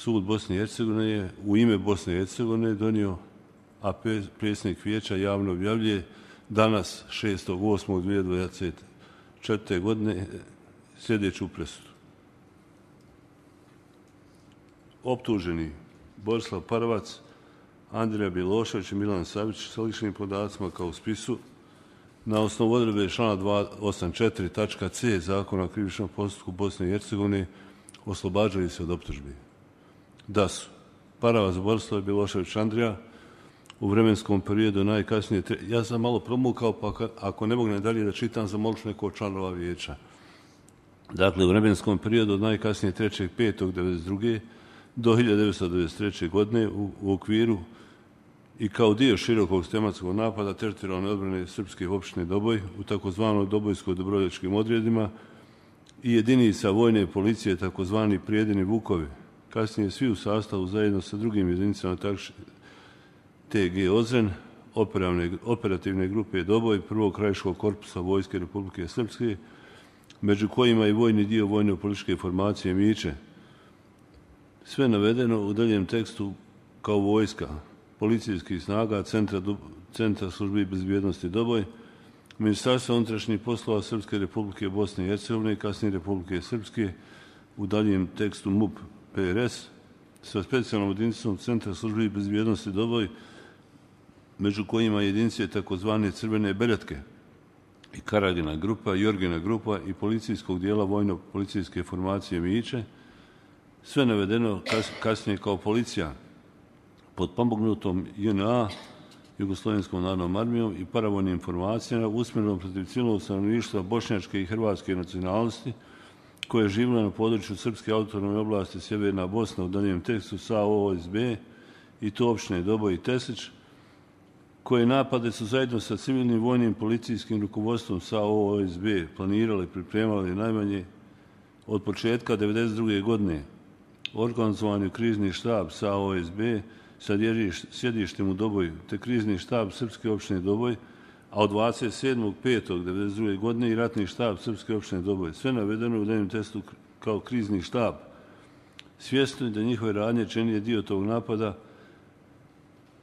sud Bosne i Hercegovine je u ime Bosne i Hercegovine donio, a predsjednik vijeća javno objavljuje danas 6.8.2024. godine sljedeću presudu. Optuženi Borislav Paravac, Andrija Bjelošević i Milan Savić sa ličnim podacima kao u spisu na osnovu odredbe člana 284.c Zakona o krivičnom postupku Bosne i Hercegovine oslobađali se od optužbi. Da su Paravac Borislav, Bjelošević Andrija u vremenskom periodu najkasnije... Ja sam malo promukao, pa ako ne mogu dalje da čitam, zamolit ću neko od članova vijeća. Dakle, u vremenskom periodu od najkasnije 3.5.1992. do 1993. godine u okviru i kao dio širokog tematskog napada teritorijalne odbrane srpske opštine Doboj u takozvanom Dobojsko-Dobrovoljačkim odredima i jedinica vojne policije takozvani Prijedini Vukovi, kasnije svi u sastavu zajedno sa drugim jedinicama TG Ozren, operativne grupe Doboj, prvog krajiškog korpusa Vojske Republike Srpske, među kojima i vojni dio vojno-političke formacije Miće. Sve navedeno u daljem tekstu kao vojska, policijskih snaga, Centra službi bezbjednosti Doboj, Ministarstva unutrašnjih poslova Srpske Republike Bosne i Hercegovine, kasnije Republike Srpske, u daljem tekstu MUP PRS, sa specijalnom jedinicom Centra službi bezbjednosti Doboj, među kojima jedinice takozvane Crvene beretke i Karagina grupa, Jorgina grupa i policijskog dijela vojno-policijske formacije Miće, sve navedeno kasnije kao policija pod pomognutom JNA, Jugoslovenskom narodnom armijom i paravojnim formacijama usmjerenom protiv civilnog stanovništva bošnjačke i hrvatske nacionalnosti koje je živjelo na području Srpske autonomne oblasti Sjeverna Bosna u daljem tekstu SAO-OSB i to opštine Doboj i Teslić, koje napade su zajedno sa civilnim vojnim policijskim rukovodstvom SAO-OSB planirali i pripremali najmanje od početka 1992. godine. Organizovan je krizni štab SAO-OSB sa sjedištem u Doboju, te krizni štab Srpske opštine Doboj, a od 27.5.1992. godine i ratni štab Srpske opštine Doboj. Sve navedeno u daljem testu kao krizni štab. Svjesni da njihove radnje čini dio tog napada,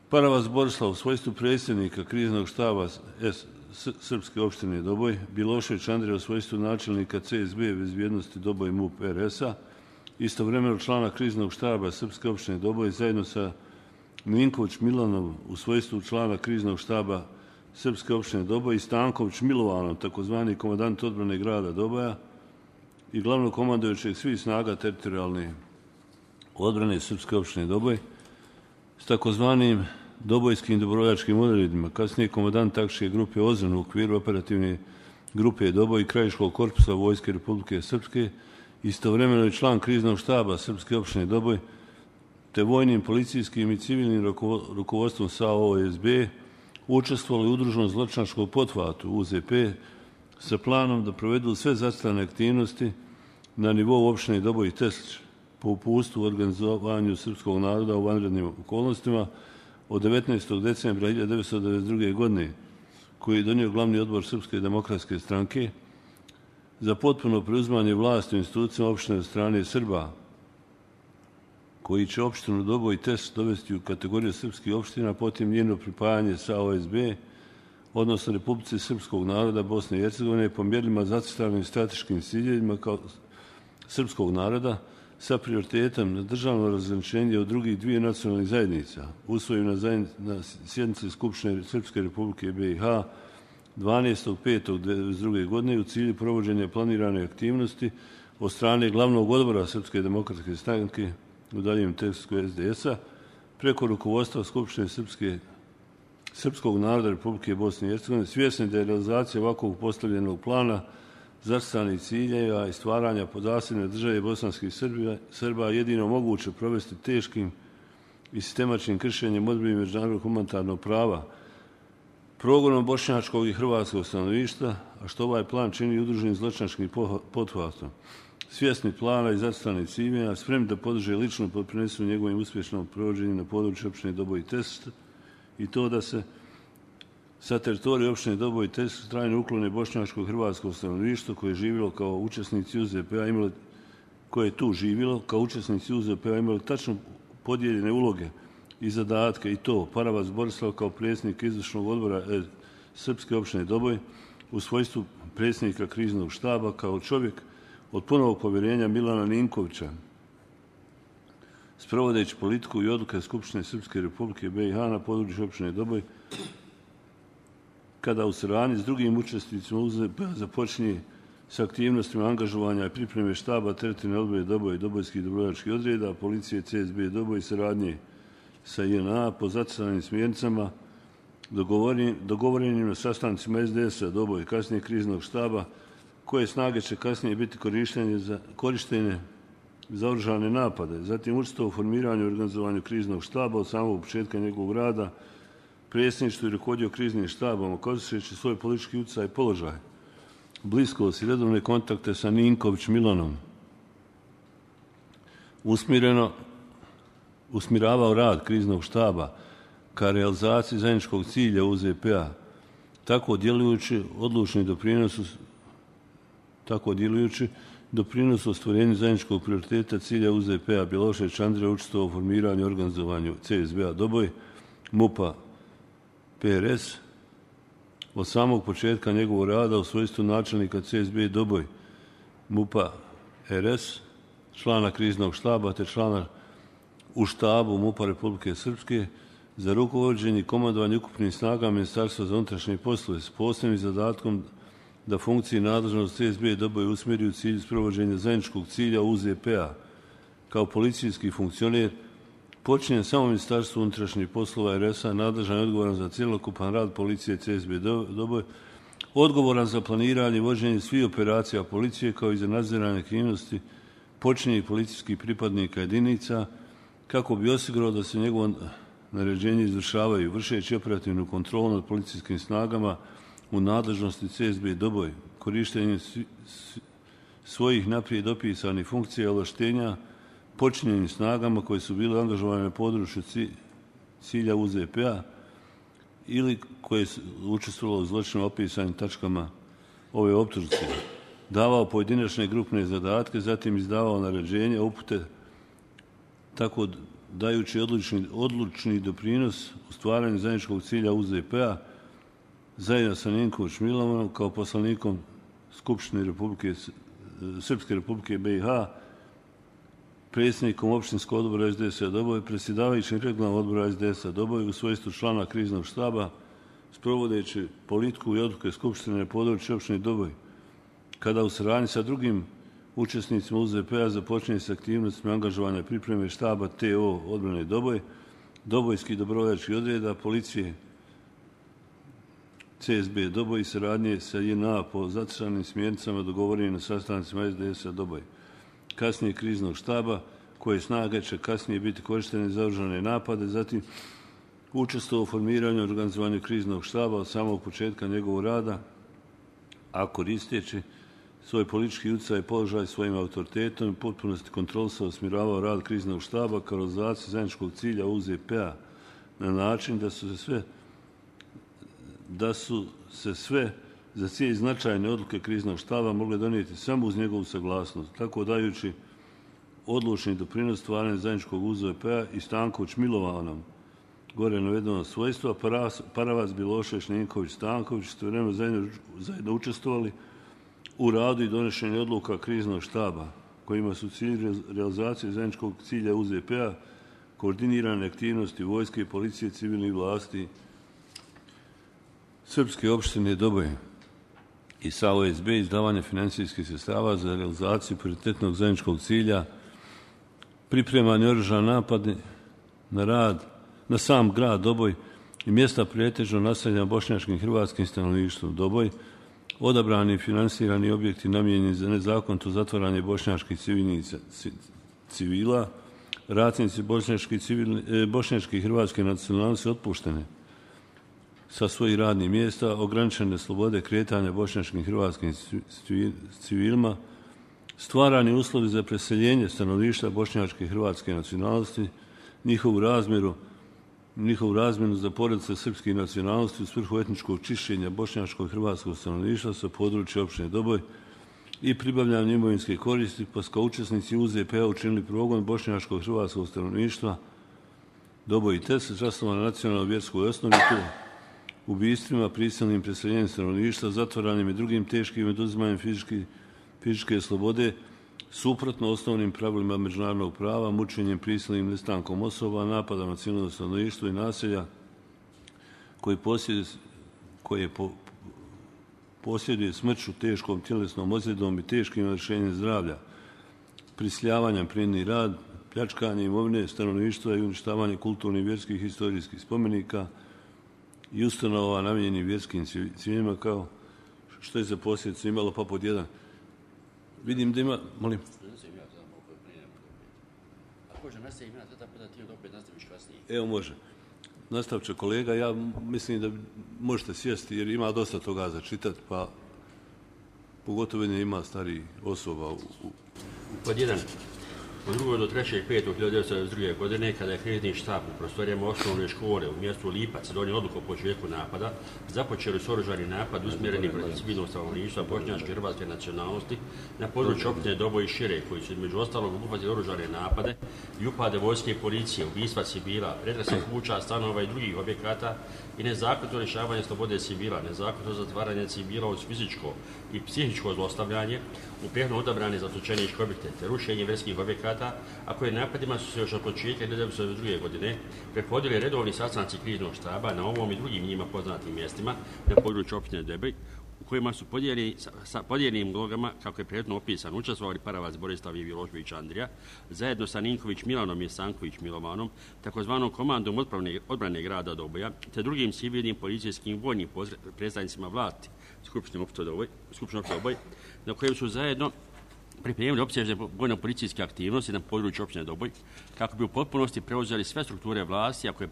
Paravac Borislav u svojstvu predsjednika kriznog štaba Srpske opštine Doboj, Bjelošević Andrija u svojstvu načelnika CSB bezbjednosti Doboj MUP RS-a, istovremeno člana kriznog štaba Srpske opštine Doboj zajedno sa Milinković Milanom u svojstvu člana kriznog štaba Srpske opštine Doboj i Stanković Milovanom, takozvani komandant odbrane grada Doboja i glavnog komandojućeg svih snaga teritorijalne odbrane Srpske opštine Doboj s takozvanim Dobojskim dobrovoljačkim odredima, kasnije komandant taktičke grupe Ozren u okviru operativne grupe Doboj i krajiškog korpusa Vojske Republike Srpske, istovremeno je član kriznog štaba Srpske opštine Doboj, te vojnim, policijskim i civilnim rukovodstvom SAO-OSB učestvovali u udruženom zločinačkom pothvatu UZP sa planom da provedu sve zacrtane aktivnosti na nivou opštine Doboj i Teslić po uputstvu u organizovanju srpskog naroda u vanrednim okolnostima od 19. decembra 1992. godine, koji je donio glavni odbor Srpske demokratske stranke za potpuno preuzimanje vlasti u institucijama opštine od strane Srba, koji će opštinu Doboj i Teslić dovesti u kategoriju srpskih opština, potim njeno pripajanje sa OSB, odnosno Republici Srpskog naroda Bosne i Hercegovine po mjerilima zacrtanim strateškim ciljevima kao srpskog naroda sa prioritetom na državno razgraničenje od drugih dvije nacionalnih zajednica, usvojeno na sjednici Skupštine Srpske Republike BiH 12.5.1992. godine u cilju provođenja planirane aktivnosti od strane glavnog odbora Srpske demokratske stranke u daljem tekstu SDS-a preko rukovodstva Skupštine Srpskog naroda Republike Bosne i Hercegovine, svjesni da je realizacija ovakvog postavljenog plana zacrtanih ciljeva i stvaranja podasljedne države bosanskih Srba jedino moguće provesti teškim i sistemačnim kršenjem odredbi međunarodnog humanitarnog prava, progonom bošnjačkog i hrvatskog stanovništva, a što ovaj plan čini udruženim zločinačkim pothvatom. Svjesni plana i zacrtanih ciljeva, spremni da podrže lično doprinesu njegovim uspješnom provođenju na području opštine Doboj i Teslić i to da se sa teritorije opštine Doboj i Teslić trajno uklone bošnjačko i hrvatsko stanovništvo koje je živjelo kao učesnici UZP-a, koje je tu živjelo, kao učesnici UZP-a imali tačno podijeljene uloge i zadatke, i to Paravac Borislav kao predsjednik izvršnog odbora Srpske opštine Doboj u svojstvu predsjednika kriznog štaba, kao čovjek od punog povjerenja Milana Ninkovića, sprovodeći politiku i odluke Skupštine Srpske Republike BiH na području opštine Doboj, kada u saradnji s drugim učesnicima UZP-a započinje s aktivnostima angažovanja i pripreme štaba teritorijalne odbrane Doboj i dobojskih dobrovoljačkih odreda, policije CSB Doboj i saradnje sa JNA po zacrtanim smjernicama dogovorenim na sastancima SDS-a Doboj i kasnije kriznog štaba, koje snage će kasnije biti korištene za oružane napade. Zatim učestvovao u formiranju i organizovanju kriznog štaba od samog početka njegovog rada, predsjedništvo i rukovodio kriznim štabom, koristeći svoj politički utjecaj i položaj, bliskost i redovne kontakte sa Ninković Milanom, usmjeravao rad kriznog štaba ka realizaciji zajedničkog cilja UZP-a, tako djelujući doprinos ostvarenju zajedničkog prioriteta cilja UZP-a. Bjelošević Andrija učestvovao u formiranju i organizovanju CSB-a Doboj, MUP-a PRS, od samog početka njegovog rada u svojstvu načelnika CSB Doboj, MUP-a RS, člana kriznog štaba te člana u štabu MUP-a Republike Srpske za rukovođenje i komandovanje ukupnim snagama Ministarstva za unutrašnje poslove s posebnim zadatkom da funkciji nadležnost CSB Doboj usmjeri u cilju sprovođenja zajedničkog cilja UZP-a. Kao policijski funkcioner počinje samo Ministarstvo unutrašnjih poslova RS-a, nadležan i odgovoran za cjelokupan rad policije CSB Doboj, odgovoran za planiranje i vođenje svih operacija policije, kao i za nadziranje aktivnosti počinjenih policijskih pripadnika jedinica, kako bi osigurao da se njegovo naređenje izvršavaju, vršeći operativnu kontrolu nad policijskim snagama u nadležnosti CSB Doboj, korištenjem svojih naprijed opisanih funkcija i ovlaštenja počinjenim snagama koje su bile angažovane na području cilja UZP-a ili koje su učestvovalo u zločinu opisanim tačkama ove optužnice, davao pojedinačne grupne zadatke, zatim izdavao naređenja, upute, tako dajući odlučni doprinos u stvaranju zajedničkog cilja UZP-a zajedno sa Ninković Milanom kao poslanikom Skupštine Srpske Republike BiH, predsjednikom opštinskog odbora SDS-a Doboj, predsjedavajućim regionalnog odbora SDS-a Doboj u svojstvu člana kriznog štaba, sprovodeći politiku i odluke Skupštine na području opštine Doboj, kada u saradnji sa drugim učesnicima UZP-a započinje s aktivnostima angažovanja pripreme štaba TO odbrane Doboj, dobojskih dobrovoljačkih odreda, policije CSB Doboj i saradnje sa JNA po zacrtanim smjernicama dogovorenim na sastancima SDS-a Doboj, kasnije kriznog štaba, koje snage će kasnije biti korištene za oružane napade, zatim učestvovao u formiranju i organizovanju kriznog štaba od samog početka njegovog rada, a koristeći svoj politički utjecaj i položaj svojim autoritetom i potpunosti kontrolisao i usmjeravao rad kriznog štaba kao realizaciju zajedničkog cilja UZP-a na način da su se sve za cilj značajne odluke kriznog štaba mogle donijeti samo uz njegovu saglasnost, tako dajući odlučni doprinos stvaranju zajedničkog UZP-a i Stanković Milovanom, gore navedenog svojstva, Paravac, Bjelošević, Ninković, Stanković istovremeno zajedno učestvovali u radu i donošenju odluka kriznog štaba, kojima su cilj realizacije zajedničkog cilja UZP-a, koordinirane aktivnosti vojske i policije, civilnih vlasti Srpske opštine Doboj i sa OSB izdavanje financijskih sredstava za realizaciju prioritetnog zajedničkog cilja, pripremanje oružanih napada na sam grad Doboj i mjesta pretežno naseljena bošnjačkim i hrvatskim stanovništvom Doboj, odabrani i finansirani objekti namijenjeni za nezakonito zatvaranje bošnjačkih civila, ratnici bošnjačke i hrvatske nacionalnosti otpuštene sa svojih radnih mjesta, ograničene slobode kretanja bošnjačkim i hrvatskim civilima, stvarani uslovi za preseljenje stanovništva bošnjačke i hrvatske nacionalnosti, njihovu razmjenu za porodice srpskih nacionalnosti u svrhu etničkog čišćenja bošnjačkog i hrvatskog stanovništva sa područja opštine Doboj, i pribavljanje imovinske koristi, pa su kao učesnici UZP-a učinili progon bošnjačkog hrvatskog stanovništva Doboj i Tese, zasnovano na nacionalnoj vjerskoj osnovi, ubistvima, prisilnim preseljenjem stanovništva, zatvaranjem i drugim teškim oduzimanjem fizičke slobode, suprotno osnovnim pravilima međunarodnog prava, mučenjem, prisilnim nestankom osoba, napada na civilno stanovništvo i naselja koje posjeduje smrću, teškom tjelesnom ozljedom i teškim narušenjem zdravlja, prisiljavanjem prinudni rad, pljačkanje imovine stanovništva i uništavanje kulturnih, vjerskih i historijskih spomenika i ustanova namijenjenih vjerskim ciljevima, kao što je za posljedicu imalo pa pod jedan. Vidim da ima, molim. Evo može. Nastavit će kolega, ja mislim da možete sjesti jer ima dosta toga za čitati, pa pogotovo ima starih osoba. Pod jedan. Od 2. do 3.5.1992. godine, kada je krizni štab u prostorijama osnovne škole u mjestu Lipac donio odluku o početku napada, započeli su oružani napad usmjereni protiv civilnog stanovništva bošnjačke hrvatske nacionalnosti na području općine Doboj i šire, koji su između ostalog obuhvatili oružane napade i upade vojske i policije, ubistva civila, pretresa kuća, stanova i drugih objekata i nezakonito lišavanje slobode civila, nezakonito zatvaranje civila uz fizičko i psihičko zlostavljanje u prethodno odabrane zatočeničke objekte te rušenje vjerskih objekata, a koje napadima su se još od početka 1992. godine prethodili redovni sastanci kriznog štaba na ovom i drugim njima poznatim mjestima na području općine Doboj, u kojima su sa podijeljenim ulogama, kako je prethodno opisano, učestvovali Paravac Borislav i Milošević Andrija, zajedno sa Ninković Milanom i Sanković Milovanom, takozvanom komandom odbrane grada Doboja, te drugim civilnim, policijskim i vojnim predstavnicima vlasti Skupštine općine Doboj, na kojem su zajedno pripremili opsežne vojno-policijske aktivnosti na području općine Doboj, kako bi u potpunosti preuzeli sve strukture vlasti, a koje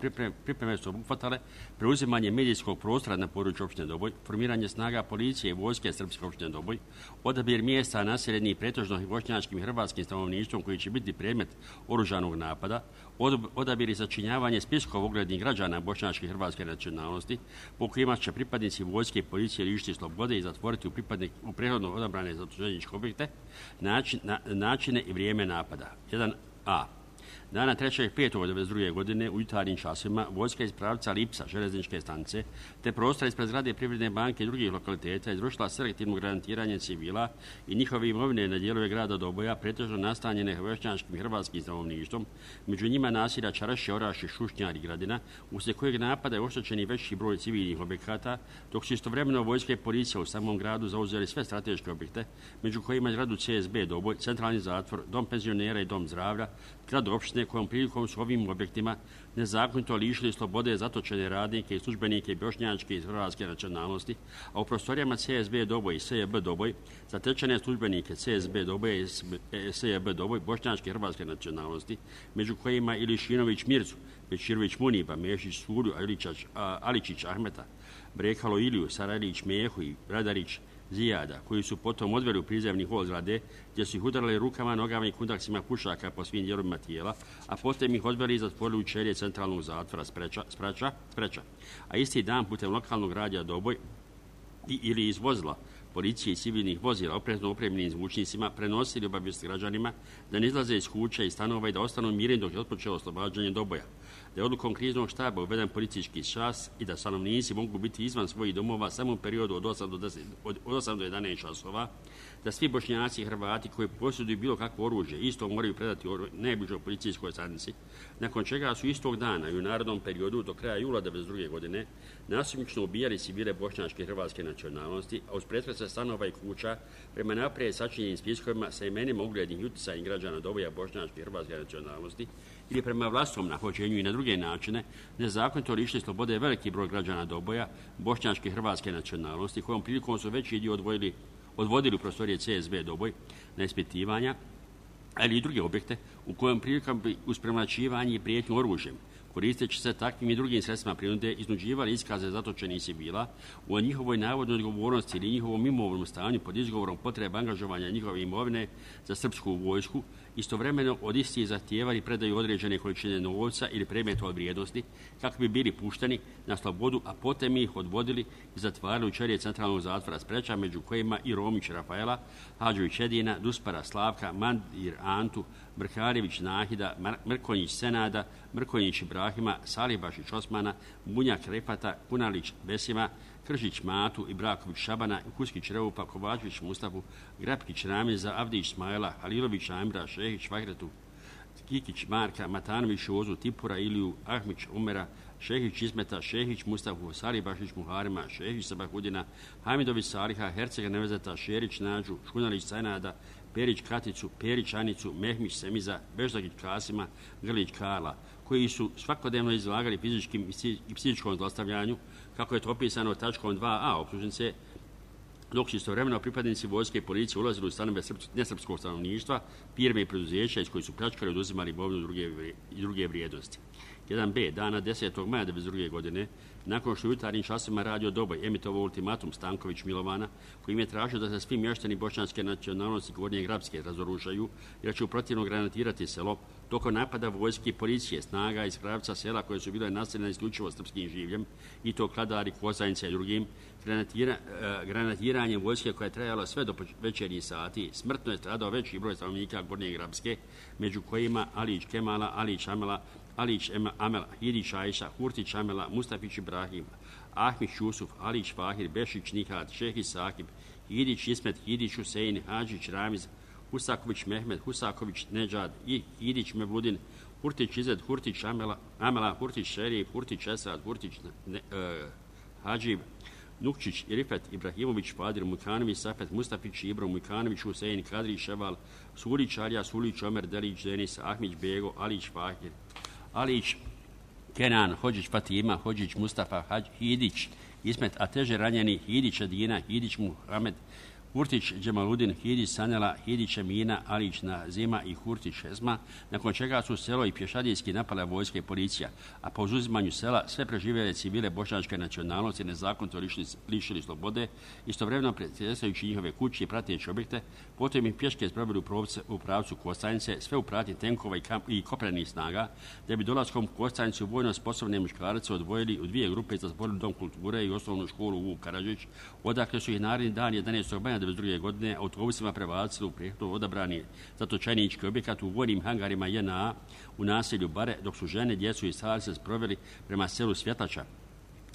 pripreme su obuhvatale preuzimanje medijskog prostora na području općine Doboj, formiranje snaga policije i vojske srpske općine Doboj, odabir mjesta naseljenih pretežno bošnjačkim i hrvatskim stanovništvom koji će biti predmet oružanog napada, odabir i sačinjavanje spiskova uglednih građana bošnjačke i hrvatske nacionalnosti, po kojima će pripadnici vojske i policije lišiti slobode i zatvoriti u prethodno odabrane zatočeničke objekte, načine i vrijeme napada. 1a. Dana 3.5.1992. godine u jutarnjim časima vojska iz pravca Lipca, železničke stanice, te prostora ispred zgrade Privredne banke i drugih lokaliteta izvršila selektivno granatiranje civila i njihove imovine na dijelove grada Doboja, pretežno nastanjene bošnjačkim i hrvatskim stanovništvom, među njima naselja Čaraši, Oraši, Šušnjar i Gradina, uslijed kojeg napada je oštećeni veći broj civilnih objekata, dok su istovremeno vojske i policija u samom gradu zauzeli sve strateške objekte, među kojima je zgradu CSB Doboj, centralni zatvor, dom penzionera i dom zdravlja, zgradu opštine kojom prilikom su ovim objektima nezakonito lišili slobode zatočene radnike i službenike bošnjačke i hrvatske nacionalnosti, a u prostorijama CSB Doboj i SJB Doboj zatečene službenike CSB Doboj i SJB Doboj bošnjačke i hrvatske nacionalnosti, među kojima i Lišinović Mircu, Bečirović Muniba, Mešić Suru, Aličić Ahmeta, Brekalo Iliju, Sarajlić Mehu i Radarić Zijada, koji su potom odveli u prizemni hol zgrade, gdje su ih udarali rukama, nogama i kundaksima pušaka po svim dijelovima tijela, a potom ih odveli i zatvorili u ćelije centralnog zatvora Spreča. A isti dan putem lokalnog radija Doboj ili iz vozila policije i civilnih vozila oprezno opremljenim zvučnicima prenosili obavijest građanima da ne izlaze iz kuća i stanova i da ostanu mirni dok je otpočelo oslobađanje Doboja, da je odlukom kriznog štaba uveden policijski čas i da stanovnici mogu biti izvan svojih domova samo u periodu od 8 do 11 časova, da svi Bošnjaci i Hrvati koji posjeduju bilo kakvo oružje isto moraju predati najbližoj policijskoj stanici, nakon čega su istog dana i u narednom periodu do kraja jula 1992. godine nasumično ubijali civile bošnjačke i hrvatske nacionalnosti, a uz pretrese stanova i kuća prema naprijed sačinjenim spiskovima sa imenima uglednih i utjecajnih građana Doboja bošnjačke i hrvatske nacionalnosti ili prema vlastnom nahođenju i na druge načine nezakonito lišili slobode veliki broj građana Doboja bošnjačke i hrvatske nacionalnosti, kojom prilikom su veći dio odvodili u prostorije CSB Doboj na ispitivanja, ali i druge objekte u kojem prilikom bi uz premlaćivanje i prijetnju oružjem, koristeći se takvim i drugim sredstvima prinude, iznuđivali iskaze zatočenih civila o njihovoj navodnoj odgovornosti ili njihovom imovnom stanju pod izgovorom potrebe angažovanja njihove imovine za srpsku vojsku Istovremeno od istih zahtijevali predaju određene količine novca ili predmeta od vrijednosti kako bi bili pušteni na slobodu, a potom ih odvodili i zatvarali u ćelije centralnog zatvora Spreča, među kojima i Romić Rafaela, Hadžović Edina, Duspara Slavka, Mandir Antu, Brkarević Nahida, Mrkonjić Senada, Mrkonjić Ibrahima, Salibašić Osmana, Bunjak Refata, Kunalić Besima, Kržić Matu, Ibraković Šabana, Kuskić Reupa, Kovačević Mustafu, Grapkić Ramiza, Avdić Smajla, Halilović Amira, Šehić Vahretu, Kikić Marka, Matanović Ozu, Tipura Iliju, Ahmić Umera, Šehić Izmeta, Šehić Mustafu, Salibašić Muharima, Šehić Sabahudina, Hamidović Saliha, Hercega Nevezeta, Šerić Nađu, Škunalić Sajnada, Perić Katicu, Perić Anicu, Mehmić Semiza, Beždagić Kasima, Grlić Karla, koji su svakodnevno izlagali fizičkim i psihičkom zlostavljanju, kako je to opisano tačkom 2a optužnice, dok su istovremeno pripadnici vojske i policije ulazili u stanove nesrpskog stanovništva, firme i preduzeća iz kojih su pljačkali i oduzimali imovinu i druge vrijednosti. 1b. Dana 10. maja 1992. godine, nakon što je u jutarnjim časovima Radio Doboj emitovao ultimatum Stanković Milovana, kojim je tražio da se svi mještani bošnjanske nacionalnosti Gornje Grabske razoružaju, jer će u protivno granatirati selo, tokom napada vojske i policije snaga iz Kravca sela koje su bile naseljene isključivo srpskim življem, i to Kladari, Kozajnice i drugim, granatiranjem vojske koja je trajala sve do večernjih sati, smrtno je stradao veći broj stanovnika Gornje Grabske, među kojima Alić Kemala, Alić Amela, Alić Amela, Hidić Ajša, Hurtić Amela, Mustafić Ibrahim, Ahmić Jusuf, Alić Fahir, Bešić Nihat, Šehić Sakib, Hidić Ismet, Hidić Husein, Hadžić Ramiz, Husaković Mehmed, Husaković Neđad, Hidić Mevludin, Hurtić Izet, Hurtić Amela, Hurtić Šerif, Hurtić Esad, Hurtić Hadžib, Nukčić, Rifet, Ibrahimović, Fadir, Mujkanović, Safet, Mustafić, Ibro, Mujkanović, Husein, Kadri, Ševal, Sulić, Alija, Sulić, Omer, Delić, Denis, Ahmić, Bego, Alić, Fahir, Alić, Kenan, Hođić, Fatima, Hođić, Mustafa, Hidić, Ismet, a teže ranjeni Hidić, Adina, Hidić, Muhamed, Hurtić, Džemaludin, Hidić, Sanela, Hidić, Emina, Alić, Nazima i Hurtić, Šezma, nakon čega su selo i pješadijski napala vojska i policija, a po uzimanju sela sve preživjele civile bošnjačke nacionalnosti nezakonito lišili slobode, istovremeno pretjestajući njihove kuće i prateći objekte, potom im pješke sproveli u pravcu Kostajnice, sve u pratnji tenkova i kopnenih snaga, da bi dolaskom u Kostajnicu vojno sposobne muškarce odvojili u dvije grupe za zatvorili dom kulture i osnovnu školu Vuk Karadžić, odakle su ih naredni dan 11. maja 1992. godine autobusima prebacili u prethodno odabrani zatočenički objekat u vojnim hangarima JNA u naselju Bare, dok su žene, djecu i starce sproveli prema selu Svjetača,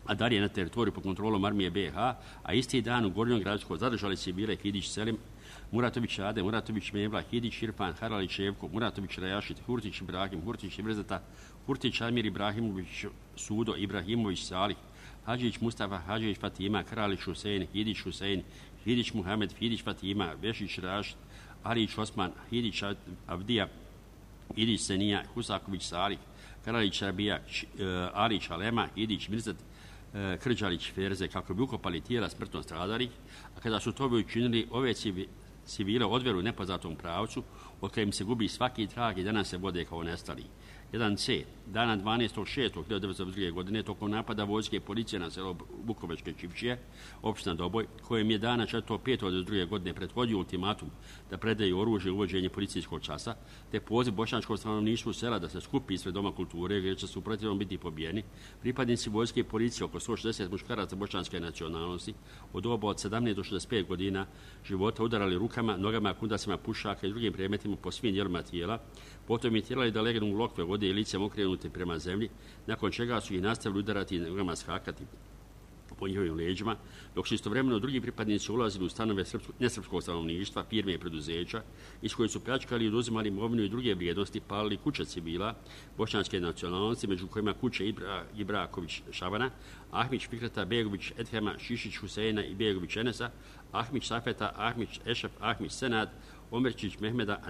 a dalje na teritoriju pod kontrolom armije BiH, a isti dan u Gornjom Gradskom zadržali civile Hidić Selim, Muratović Ade, Muratović Mevla, Hidić Irfan, Haralić Ševko, Muratović Rajašit, Hurtić Ibrahim, Hurtić Ibrzeta, Hurtić Amir Ibrahimović Sudo, Ibrahimović Salih, Hadžić Mustafa, Hadžić Fatima, Kralić Husein, Hidić Husein, Hidić Muhamed, Hidić Fatima, Bešić Rašid, Alić Osman, Hidić Avdija, Hidić Senija, Husaković Salih, Kralić Rabija, Alić Alema, Hidić Mirzet, Krđalić Ferze, kako bi ukopali tijela smrtno stradalih, a kada su to učinili, ove civile odveru u nepoznatom pravcu, od kojem se gubi svaki trag i danas se vode kao nestali. 1c. Dana 12.6.1992. godine tokom napada vojske i policije na selo Bukovečke Čivčije, opština Doboj, kojem je dana 4.5.1992. godine prethodio ultimatum da predaju oružje i uvođenje policijskog časa, te poziv bošnjačkog stanovništvu sela da se skupi ispred Doma kulture, gdje će se u protivnom biti pobijeni, pripadnici vojske i policije, oko 160 muškaraca bošnjanske nacionalnosti, od doba od 17 do 65 godina života udarali rukama, nogama, kundacima pušaka i drugim predmetima po svim dijelima tijela, potom je tjerali da legnu u lokve vode i licem okrenuti prema zemlji, nakon čega su ih nastavili udarati i nogama skakati po njihovim leđima, dok su istovremeno drugi pripadnici ulazili u stanove nesrpskog stanovništva, firme i preduzeća, iz koji su pljačkali i oduzimali imovinu i druge vrijednosti, palili kuće civila bošnjanske nacionalnosti, među kojima kuće Ibraković Šavana, Ahmić Fikreta, Begović Edhema, Šišić Huseina i Begović Enesa, Ahmić Safeta, Ahmić Ešef, Ahmić Senad, Omerčić Mehmeda,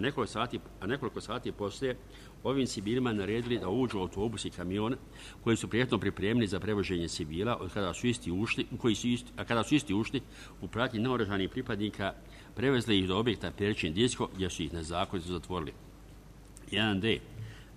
a nekoliko sati poslije ovim civilima naredili da uđu u autobus i kamion koji su prijetno pripremili za prevoženje civila, kada su isti ušli u pratnji naoružanih pripadnika, prevezli ih do objekta Peričin Disko, gdje su ih nezakonito zatvorili. 1d.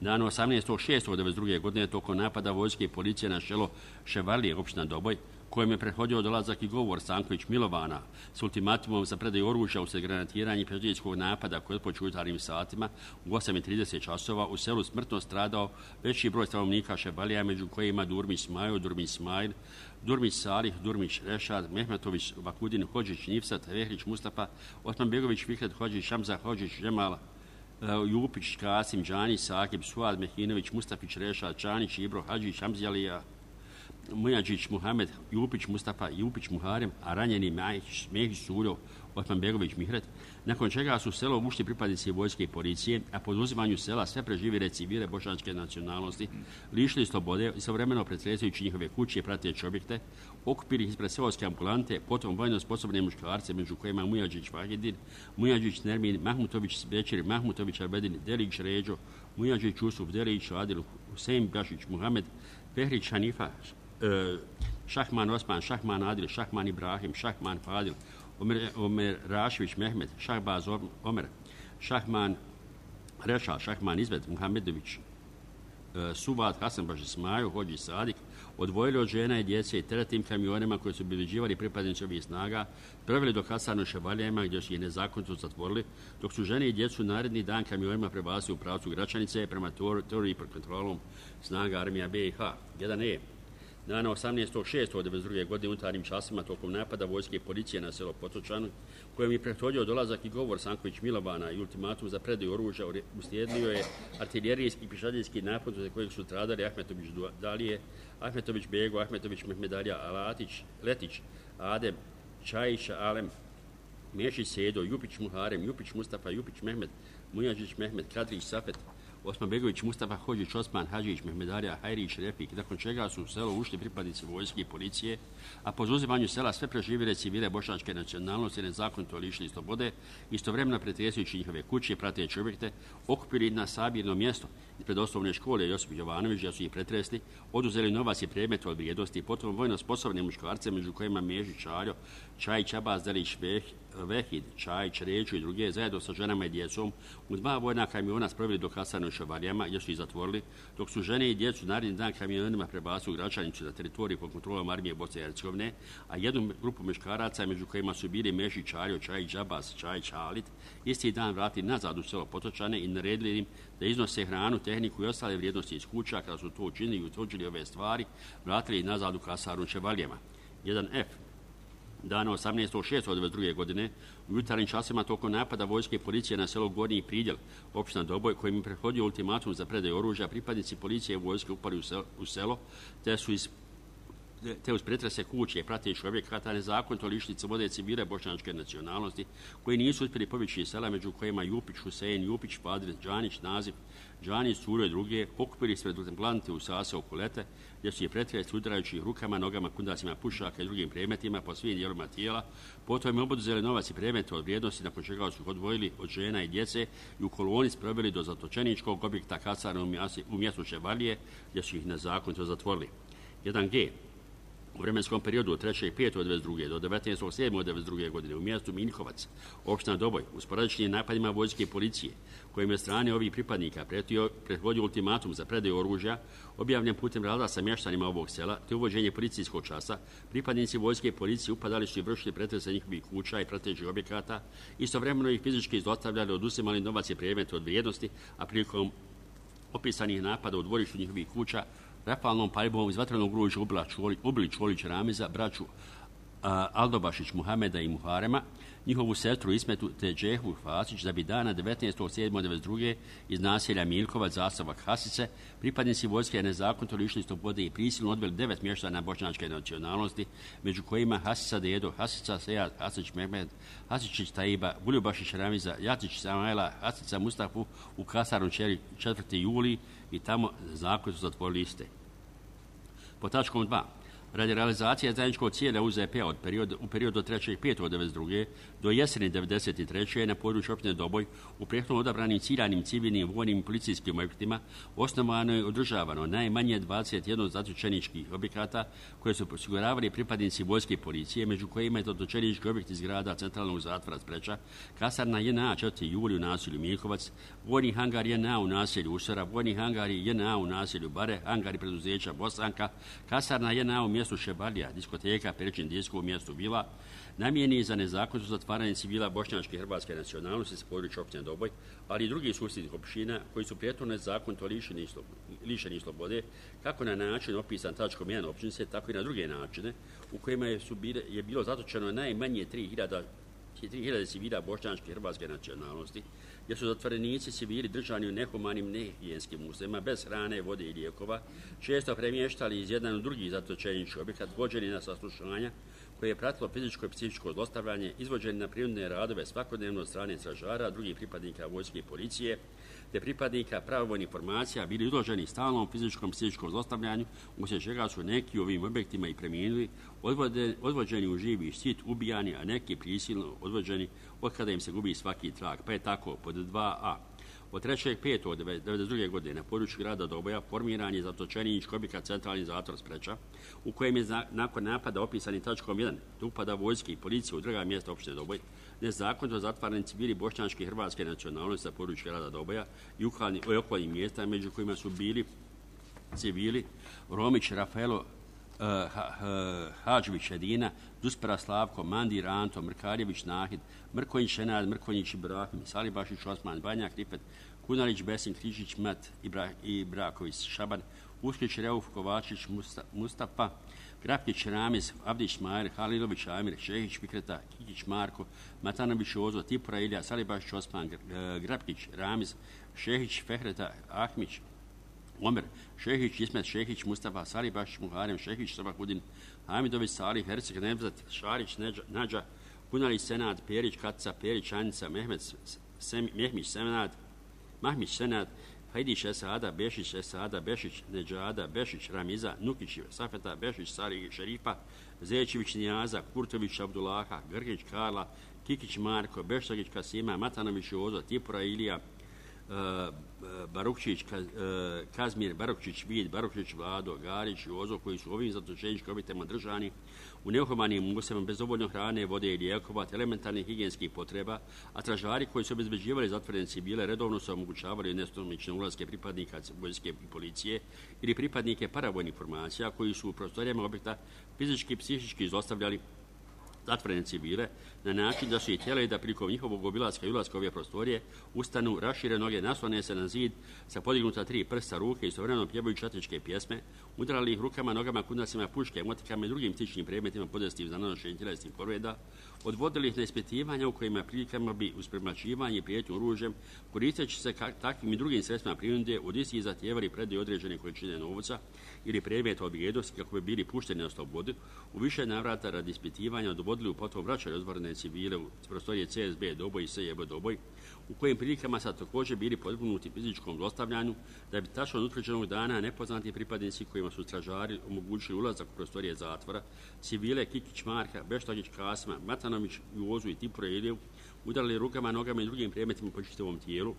Dan 18.6.1992. godine tokom napada vojske i policije na selo Ševalije, opština Doboj, kojem je prethodio dolazak i govor Stanković Milovana s ultimatumom za predaju oružja usred granatiranja i prijateljskog napada koji je počeo u jutarnjim satima u 8:30 časova u selu smrtno stradao veći broj stanovnika Šebalija, među kojima Durmić Smajo, Durmić Smajl, Durmić Salih, Durmić Rešad, Mehmetović, Vakudin, Hođić Nifsat, Vehrić Mustafa, Osmanbegović Fikret, Hođić Šamza, Hođić Žemal, Jupić, Kasim, Đanić, Sakib, Suad, Mehinović, Mustafić, Rešad, Čanić, Ibro, Hadžić, Hamzjalija, Mujađić, Muhamed, Jupić, Mustafa, Jupić, Muharem, a ranjeni Mehić, Suljo, Osmanbegović, Mihret, nakon čega su u selo ušli pripadnici vojske i policije, a po oduzimanju sela sve preživjele civile bošnjačke nacionalnosti, lišili slobode i istovremeno pretresajući njihove kuće i prateće objekte, okupili ih ispred seoske ambulante, potom vojno sposobne muškarce, među kojima Mujađić Vahidin, Mujađić Nermin, Mahmutović Bećir, Mahmutović Arbedin, Delić Ređo, Mujađić Usuf, Delić Adil, Husein Bašić, Muhamed, Pehrić Hanifa, Šahman Osman, Šahman Adil, Šahman Ibrahim, Šahman Fadil, Omer Rašević Mehmed, Šahbaz Omer, Šahman Reša, Šahman Izved, Muhamedović, Suvad, Hasanbaš Ismaju, Hođi Sadik, odvojili od žena i djece i teretnim kamionima koji su obilježivali pripadnici ovih snaga, preveli do Kasarno Šebalijama gdje su ih nezakonito zatvorili, dok su žene i djecu naredni dan kamionima prebacili u pravcu Gračanice prema teoriji pod kontrolom snaga armija BiH. 1E. Dana 18.6.1992. godine unutarnjim časima tokom napada vojske i policije na selo Potočanu, kojem je prethodio dolazak i govor Stanković Milovana i ultimatum za predaju oružja, uslijedio je artiljerijski i pišadijski napad za kojeg su stradali Ahmetović Dalije, Ahmetović Bego, Ahmetović Mehmedalija, Alatić, Letić, Adem, Čajić, Alem, Mešić Sedo, Jupić Muharem, Jupić Mustafa, Jupić Mehmed, Mujađić Mehmed, Kadrić Safet, Osmanbegović Mustafa, Hođić Osman, Hadžić Mehmedalija, Hajrić Refik, nakon čega su u selo ušli pripadnici vojske i policije, a po zauzimanju sela sve preživjele civile bošnjačke nacionalnosti nezakonito lišili slobode, istovremeno pretresajući njihove kuće, prateće objekte, okupili na sabirno mjesto ispred osnovne škole Josip Jovanović, gdje su ih pretresli, oduzeli novac i predmete od vrijednosti, potom vojno sposobne muškarce, među kojima Mežić Čaljo, Čajić Abaz, Delić Vehid, Čajić Ređu i druge, zajedno sa ženama i djecom, u 2 vojna kamiona sproveli do Kasarno Šebalijama, gdje su ih zatvorili, dok su žene i djecu naredni dan kamionima prebacili u Gračanicu na teritoriju pod kontrolom armije Bosne i Hercegovine, a jednu grupu muškaraca, među kojima su bili Mešić Čaljo, Čajić Abaz, Čajić Halit, isti dan vratili nazad u selo Potočane i naredili im da iznose hranu, tehniku i ostale vrijednosti iz kuća. Kada su to učinili i utvrđili ove stvari, vratili ih nazad u Kasarnu Šebalijama. 1F. Dana 18.6.1992. godine u jutarnjim časima tokom napada vojske i policije na selo Gornji Pridjel, opština Doboj, kojim je prethodio ultimatum za predaju oružja, pripadnici policije i vojske upali u selo, te uz pretrese kuće i pratećih objekata nezakonito lišili slobode civile bošnjačke nacionalnosti, koji nisu uspjeli pobjeći iz sela, među kojima Jupić, Husein, Jupić, Fadil, Đanić, Nazif, Đanić, Curo i druge, okupili ispred plante u Sase Okolete, gdje su je pretresli udarajući rukama, nogama, kundacima pušaka i drugim predmetima po svim dijelovima tijela, potom im oboduzeli novac i predmete od vrijednosti, nakon čega su odvojili od žena i djece i u koloni sproveli do zatočeničkog objekta Kasarna u mjestu Šebalije, gdje su ih nezakonito zatvorili. 1G. U vremenskom periodu od 3.5.1992. do 19.7.1992. godine u mjestu Miljkovac, opština Doboj, u sporadičnim napadima vojske i policije, kojim je strane ovih pripadnika prethodio ultimatum za predaju oružja, objavljen putem rada sa mještanima ovog sela, te uvođenje policijskog časa, pripadnici vojske i policije upadali su i vršili pretrese njihovih kuća i pratećih objekata, istovremeno ih fizički zlostavljali, oduzimali novac i predmete od vrijednosti, a prilikom opisanih napada u dvorištu njihovih kuća rafalnom paljbom iz vatrenog oružja ubili Čolić Ramiza, braću Aldobašić Muhameda i Muharema, njihovu sestru Ismetu te Džehu Fasić, da bi dana 19.7.1992. iz naselja Miljkovac, zastavak Hasice, pripadnici vojske nezakonito lišili slobode i prisilno odveli 9 mještana bošnjačke nacionalnosti, među kojima Hasica Dedo, Hasica Sejad, Hasić Mehmed, Hasičić Taiba, Buljubašić Ramiza, Jacić Samajla, Hasica Mustafu u Kasarnu 4. juli i tamo zakonito zatvorili iste. Po tačkom 2. Radi realizacije zajedničkog cijela UZP-a u periodu od 3.5.1992. do jeseni 1993. na području opštine Doboj u prethodno odabranim ciljanim civilnim, vojnim i policijskim objektima osnovano je održavano najmanje 21 zatočeničkih objekata koje su osiguravali pripadnici vojske i policije, među kojima je zatočenički objekt iz grada centralnog zatvora Spreča, kasarna JNA 4. juli u naselju Miljkovac, vojni hangar JNA u naselju Usora, vojni hangari JNA u naselju Bare, hangari preduzeća Bosanka, kasarna JNA u mjestu mjestu Šebalija, diskoteka Peričin disko u mjestu Bila, namijeni za nezakonito zatvaranje civila bošnjačke i hrvatske nacionalnosti sa područja općine Doboj, ali i drugih susjednih općina koji su prijetno nezakonito lišeni slobode, kako na način opisan tačkom 1 općinice, tako i na druge načine, u kojima je bilo zatočeno najmanje 3000 civila bošnjačke i hrvatske nacionalnosti, gdje su zatvorenici civili držani u nehumanim nehigijenskim uslovima, bez hrane, vode i lijekova, često premještali iz jedan u drugi zatočenički objekat, vođeni na saslušanja, koje je pratilo fizičko i psihičko zlostavljanje, izvođeni na prinudne radove svakodnevno od strane stražara, drugih pripadnika vojske i policije, te pripadnika pravovojnih formacija bili izloženi stalnom fizičkom i psihičkom zlostavljanju, uslijed čega su neki u ovim objektima i preminuli, odvođeni u živi štit, ubijani, a neki prisilno odvođeni od kada im se gubi svaki trag. Pa je tako, pod 2a. Od 3.5.1992. godine na području grada Doboja formiran je zatočenički objekat centralni zatvor Spreča, u kojem je nakon napada opisani tačkom 1 upada vojske i policije u druga mjesta opštine Doboj, nezakonito zatvarani civili bošnjačke i hrvatske nacionalnosti na području grada Doboja i okolnih mjesta, među kojima su bili civili Romić Rafaelo, Hadžvić Edina, Duspera Slavko, Mandir Anto, Mrkarjević Nahid, Mrkonjić Enad, Mrkonjić Ibrahim, Salibašić Osman, Banjak Rifet, Kunalić Besim, Križić Mat, Ibraković Šaban, Usklić Reuf, Kovačić Mustafa, Grapkić Ramiz, Avdić Majer, Halilović Amir, Šehić Fikreta, Kikić Marko, Matanović Ozo, Tipura Ilija, Salibašić Osman, Grapkić Ramiz, Šehić Fehreta, Ahmić Omer, Šehić Ismet, Šehić Mustafa, Salibašić Muharem, Šehić Sabahudin, Hamidović Salih, Herceg Nevzat, Šarić Nađa, Kunalić Senad, Perić Kaca, Perić Anica, Mehmić Senad, Mahmić Senad, Hajdić Esada, Bešić Esada, Bešić Neđada, Bešić Ramiza, Nukić Safeta, Bešić Sari Šerifa, Zečević Nijaza, Kurtović Abdullaha, Grgić Karla, Kikić Marko, Beštagić Kasima, Matanović Ozo, Tipura Ilija, Barukčić, Kazmir, Barukčić Vid, Barukčić Vlado, Garić i Ozo, koji su ovim zatočeničkim objektima držani u nehumanim uslovima bez dovoljno hrane, vode i lijekova, te elementarnih higijenskih potreba, a stražari koji su obezbeđivali zatvorene civile redovno su omogućavali nestomične ulaske pripadnika vojske i policije ili pripadnike paravojnih formacija koji su u prostorijama objekta fizički i psihički zlostavljali zatvorene civile na način da su ih htjeli da prilikom njihovog obilaska i ulaska ove prostorije ustanu, rašire noge, naslone se na zid sa podignuta 3 prsta ruke i istovremeno pjevaju četničke pjesme, udarali ih rukama, nogama, kudacima, puške, motikama i drugim sličnim predmetima podestiv za nanošenje tjelesnih povreda, odvodili ih na ispitivanja u kojima prilikama bi uz premlaćivanje i prijetnju oružjem, koristeći se takvim i drugim sredstvima prinude, od istih zahtijevali predaju određene količine novca ili predmeta od vrijednosti kako bi bili pušteni na slobodu, u više navrata radi ispitivanja dovodili u potom vraćali odvorene civile u prostorije CSB Doboj i SJB Doboj, u kojim prilikama sad također bili podvrgnuti fizičkom zlostavljanju, da bi tačno od utvrđenog dana nepoznati pripadnici kojima su stražari omogućili ulazak u prostorije zatvora, civile Kikić Marka, Beštagić Kasima, Matanović Jozu i Tipura Iliju, udarali rukama, nogama i drugim predmetima po čitavom tijelu,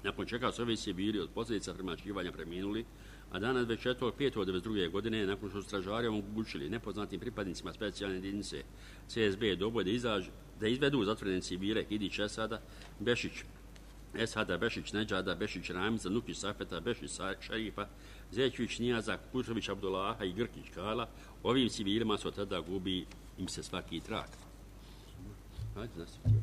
nakon čega su ovi civili od posljedica premlaćivanja preminuli, a dana 24.5.1992. godine, nakon što su stražari omogućili nepoznatim pripadnicima specijalne jedinice CSB Doboj da izvedu zatvorene civile Hidić Esada, Bešić Neđada, Bešić Ramiza, Nukić Safeta, Bešić Šerifa, Zečević Nijaza, Kurtović Abdullaha i Grkić Kala, ovim civilima su tada gubi im se svaki trag. Hajde, nastavite.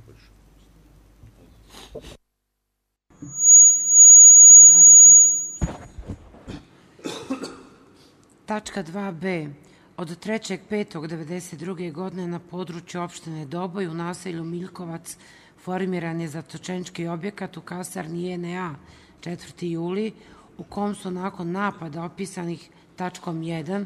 Tačka 2b. Od 3.5.1992. godine na području opštine Doboj u naselju Miljkovac formiran je zatočenički objekat u kasarni JNA 4. juli, u kom su nakon napada opisanih tačkom 1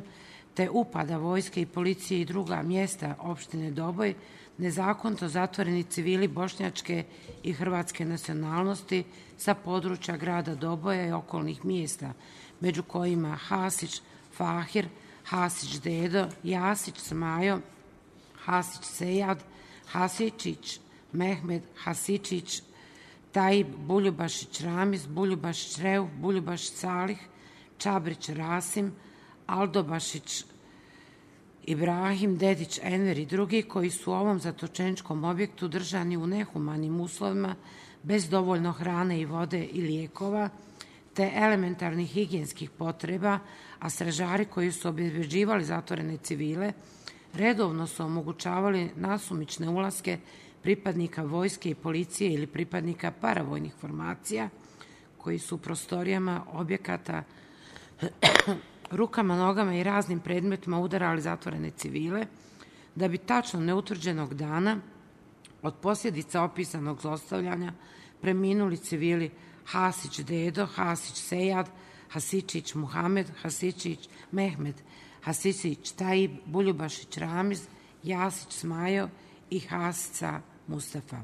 te upada vojske i policije i druga mjesta opštine Doboj nezakonito zatvoreni civili bošnjačke i hrvatske nacionalnosti sa područja grada Doboja i okolnih mjesta, među kojima Hasić Fahir, Hasić Dedo, Jasić Smajo, Hasić Sejad, Hasičić Mehmed, Hasičić Tajib, Buljubašić Ramiz, Buljubašić Reuf, Buljubašić Salih, Čabrić Rasim, Aldobašić Ibrahim, Dedić Enver i drugi koji su u ovom zatočeničkom objektu držani u nehumanim uslovima bez dovoljno hrane i vode i lijekova, te elementarnih higijenskih potreba, a stražari koji su obezbeđivali zatvorene civile redovno su omogućavali nasumične ulaske pripadnika vojske i policije ili pripadnika paravojnih formacija koji su u prostorijama objekata rukama, nogama i raznim predmetima udarali zatvorene civile, da bi tačno neutvrđenog dana od posljedica opisanog zlostavljanja preminuli civili Hasić Dedo, Hasić Sejad, Hasičić Muhamed, Hasičić Mehmed, Hasičić Tajib, Buljubašić Ramiz, Jasić Smajo i Hasica Mustafa.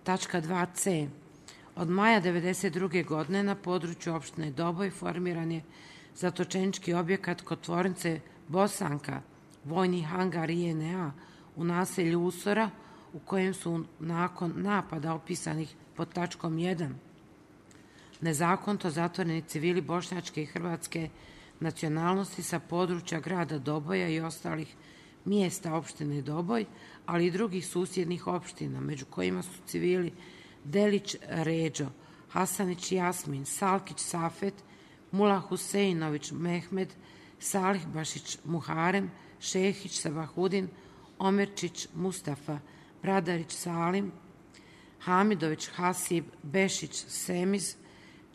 Tačka 2c. Od maja 1992. godine na području opštine Doboj formiran je zatočenički objekat kod tvornice Bosanka, vojni hangar JNA u naselju Usora, u kojem su nakon napada opisanih pod tačkom 1 nezakonito zatvoreni civili bošnjačke i hrvatske nacionalnosti sa područja grada Doboja i ostalih mjesta opštine Doboj, ali i drugih susjednih opština, među kojima su civili Delić Ređo, Hasanić Jasmin, Salkić Safet, Mula Huseinović Mehmed, Salih Bašić Muharem, Šehić Sabahudin, Omerčić Mustafa, Bradarić Salim, Hamidović Hasib, Bešić Semiz,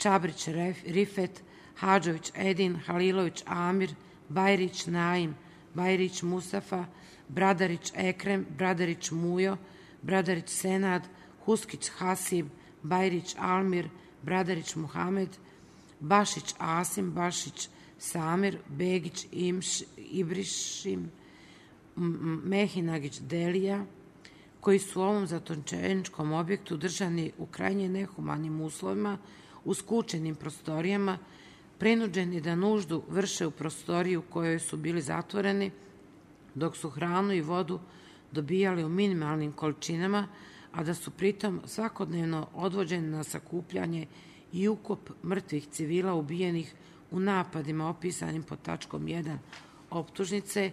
Čabrić Rifet, Hadžović Edin, Halilović Amir, Bajrić Naim, Bajrić Mustafa, Bradarić Ekrem, Bradarić Mujo, Bradarić Senad, Huskić Hasib, Bajrić Almir, Bradarić Muhamed, Bašić Asim, Bašić Samir, Begić Ibrišim, Mehinagić Delija, koji su u ovom zatočeničkom objektu držani u krajnje nehumanim uslovima, u skučenim prostorijama, prinuđeni da nuždu vrše u prostoriji u kojoj su bili zatvoreni, dok su hranu i vodu dobijali u minimalnim količinama, a da su pritom svakodnevno odvođeni na sakupljanje i ukop mrtvih civila ubijenih u napadima opisanim pod tačkom 1 optužnice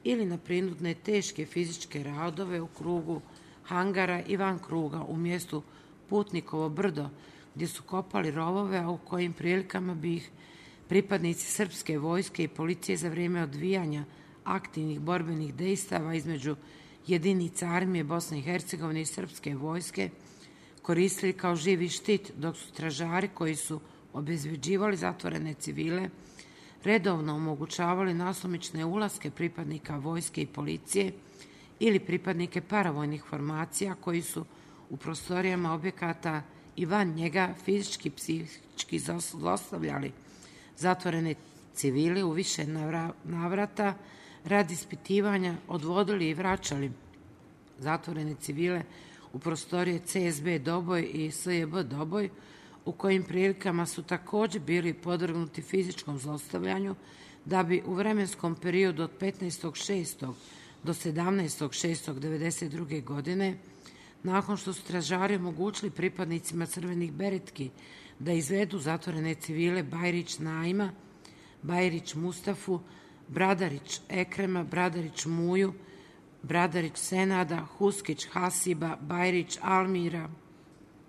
ili na prinudne teške fizičke radove u krugu hangara i van kruga u mjestu Putnikovo brdo, gdje su kopali rovove, a u kojim prilikama bi ih pripadnici srpske vojske i policije za vrijeme odvijanja aktivnih borbenih dejstava između jedinica armije Bosne i Hercegovine i srpske vojske koristili kao živi štit, dok su stražari koji su obezbeđivali zatvorene civile redovno omogućavali nasumične ulaske pripadnika vojske i policije ili pripadnike paravojnih formacija koji su u prostorijama objekata i van njega fizički, psihički zlostavljali zatvorene civile u više navrata radi ispitivanja, odvodili i vraćali zatvorene civile u prostorije CSB Doboj i SJB Doboj, u kojim prilikama su također bili podvrgnuti fizičkom zlostavljanju, da bi u vremenskom periodu od 15.6. do 17.6.1992. godine, nakon što su stražari omogućili pripadnicima crvenih beretki da izvedu zatvorene civile Bajrić Naima, Bajrić Mustafu, Bradarić Ekrema, Bradarić Muju, Bradarić Senada, Huskić Hasiba, Bajrić Almira,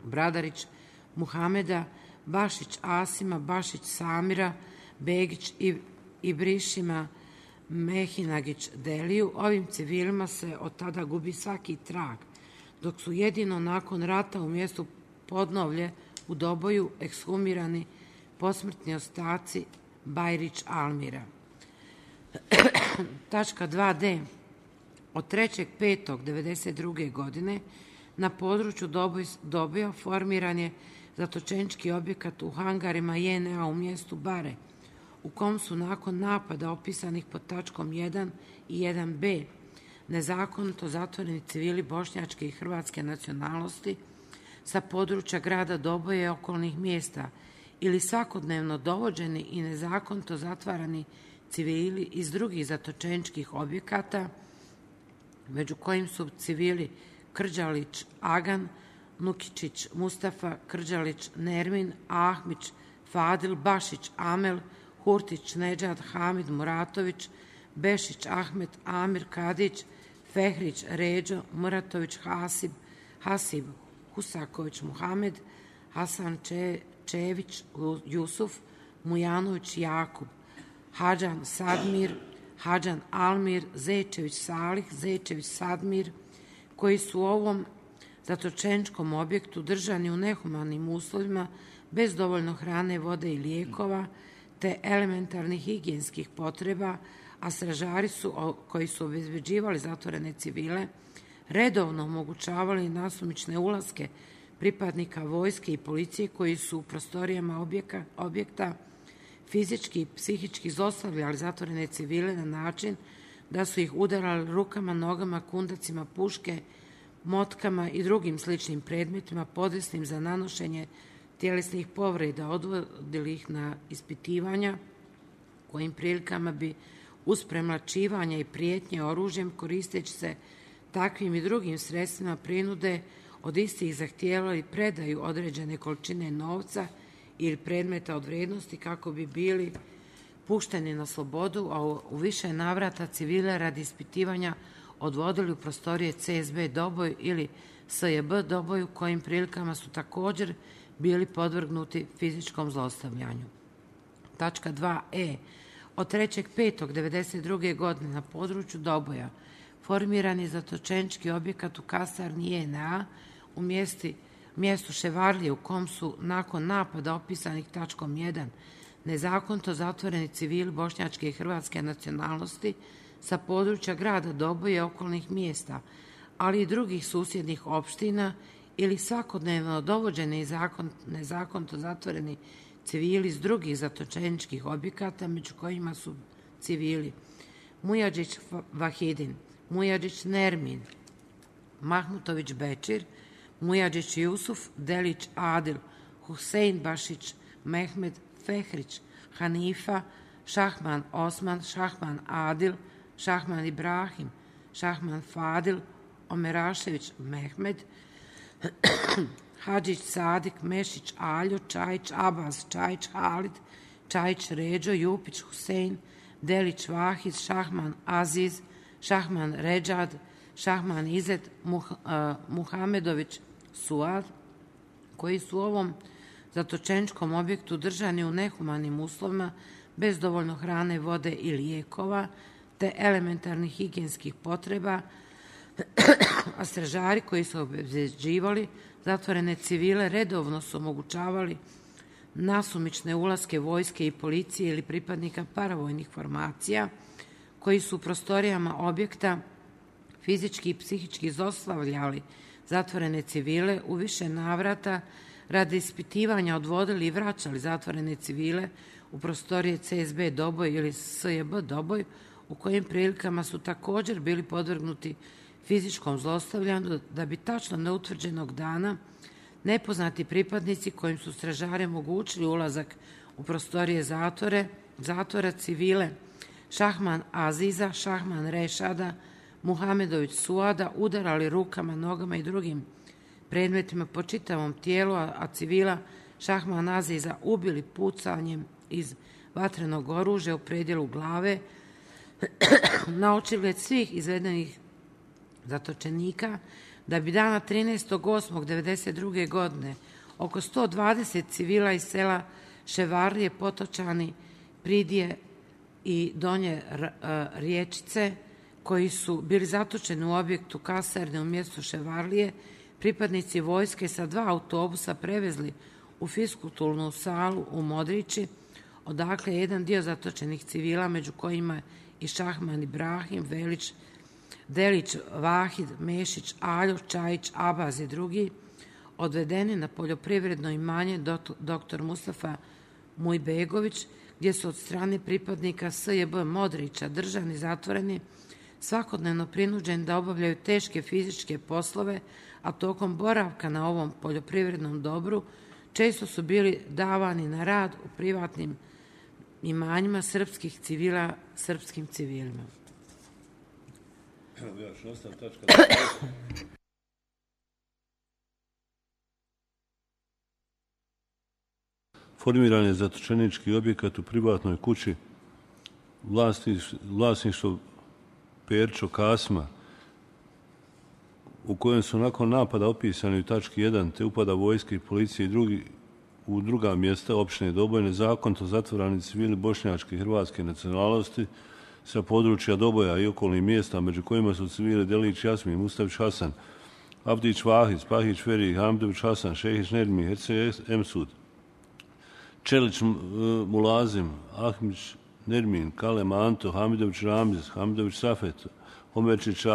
Bradarić Muhameda, Bašić Asima, Bašić Samira, Begić Ibrišima, Mehinagić Deliju, ovim civilima se od tada gubi svaki trag, dok su jedino nakon rata u mjestu Podnovlje u Doboju ekshumirani posmrtni ostaci Bajrić Almira. Tačka 2d. Od 3.5.1992. godine na području Doboja formiran je zatočenički objekat u hangarima JNA u mjestu Bare, u kom su nakon napada opisanih pod tačkom 1 i 1b nezakonito zatvoreni civili bošnjačke i hrvatske nacionalnosti sa područja grada Doboja i okolnih mjesta ili svakodnevno dovođeni i nezakonito zatvarani civili iz drugih zatočeničkih objekata, među kojim su civili Krđalić Agan, Nukičić Mustafa, Krđalić Nermin, Ahmić Fadil, Bašić Amel, Hurtić Nedžad, Hamid Muratović, Bešić Ahmet, Amir Kadić, Fehrić Ređo, Muratović Hasib, Husaković Muhamed, Hasan Čević Jusuf, Mujanović Jakub, Hadžan Sadmir, Hadžan Almir, Zečević Salih, Zečević Sadmir, koji su u ovom zatočeničkom objektu držani u nehumanim uslovima bez dovoljno hrane, vode i lijekova, te elementarnih higijenskih potreba, a stražari koji su obezbeđivali zatvorene civile redovno omogućavali nasumične ulaske pripadnika vojske i policije koji su u prostorijama objekta fizički i psihički zlostavljali zatvorene civile na način da su ih udarali rukama, nogama, kundacima puške, motkama i drugim sličnim predmetima podesnim za nanošenje tjelesnih povreda, odvodili ih na ispitivanja kojim prilikama bi uz premlaćivanja i prijetnje oružjem koristeći se takvim i drugim sredstvima prinude od istih zahtijevali predaju određene količine novca ili predmeta od vrijednosti kako bi bili pušteni na slobodu, a u više navrata civile radi ispitivanja odvodili u prostorije CSB Doboj ili SJB Doboj, u kojim prilikama su također bili podvrgnuti fizičkom zlostavljanju. Tačka 2e. Od 3.5.1992. godine na području Doboja formiran je zatočenički objekat u kasarni JNA u mjestu Ševarlije, u kom su nakon napada opisanih tačkom 1 nezakonito zatvoreni civili bošnjačke i hrvatske nacionalnosti sa područja grada Doboja i okolnih mjesta, ali i drugih susjednih opština ili svakodnevno dovođeni nezakonito zatvoreni civili iz drugih zatočeničkih objekata, među kojima su civili Mujadžić Vahidin, Mujadžić Nermin, Mahmutović Bečir, Mujadžić Jusuf, Delić Adil, Husein Bašić, Mehmed Fehrić, Hanifa, Šahman Osman, Šahman Adil, Šahman Ibrahim, Šahman Fadil, Omerašević Mehmed, Hadžić Sadik, Mešić Aljo, Čajić Abaz, Čajić Halid, Čajić Ređo, Jupić Husein, Delić Vahid, Šahman Aziz, Šahman Ređad, Šahman Izet, Muhamedović Suad, koji su u ovom zatočeničkom objektu držani u nehumanim uslovima bez dovoljno hrane, vode i lijekova, te elementarnih higijenskih potreba, a stražari koji su obezbeđivali zatvorene civile redovno su omogućavali nasumične ulaske vojske i policije ili pripadnika paravojnih formacija koji su u prostorijama objekta fizički i psihički zlostavljali zatvorene civile u više navrata radi ispitivanja odvodili i vraćali zatvorene civile u prostorije CSB Doboj ili SJB Doboj, u kojim prilikama su također bili podvrgnuti fizičkom zlostavljanju, da bi tačno neutvrđenog dana nepoznati pripadnici kojim su stražari omogućili ulazak u prostorije zatvora civile Šahman Aziza, Šahman Rešada, Muhamedović Suada udarali rukama, nogama i drugim predmetima po čitavom tijelu, a civila Šahman Aziza ubili pucanjem iz vatrenog oružja u predjelu glave na očigled svih izvedenih zatočenika, da bi dana 13.8.1992. godine oko 120 civila iz sela Ševarlije, Potočani, Pridije i Donje Riječice, koji su bili zatočeni u objektu kasarne u mjestu Ševarlije, pripadnici vojske sa 2 autobusa prevezli u fiskulturnu salu u Modrići, odakle je jedan dio zatočenih civila, među kojima i Šahman Ibrahim, Delić Vahid, Mešić Aljo, Čajić Abaz i drugi, odvedeni na poljoprivredno imanje dr. Mustafa Mujbegović, gdje su od strane pripadnika SJB Modrića držani zatvoreni, svakodnevno prinuđeni da obavljaju teške fizičke poslove, a tokom boravka na ovom poljoprivrednom dobru često su bili davani na rad u privatnim imanjima srpskih civila srpskim civilima. Formiran je zatočenički objekat u privatnoj kući vlasništvo Perčo Kasma, u kojem su nakon napada opisani u tački 1 te upada vojske i policije i drugi u druga mjesta opštine Doboj nezakonito zatvorani civili bošnjačke i hrvatske nacionalnosti sa područja Doboja i okolnih mjesta, među kojima su civili Delić Jasmin, Mustavić Hasan, Avdić Vahid, Pahić Feri, Hamdović Hasan, Šehić Nermi, Herce Emsud, Čelić Mulazim, Ahmić Nermin, Kalem Anto, Hamidović Ramziz, Hamidović Safet, Omerčić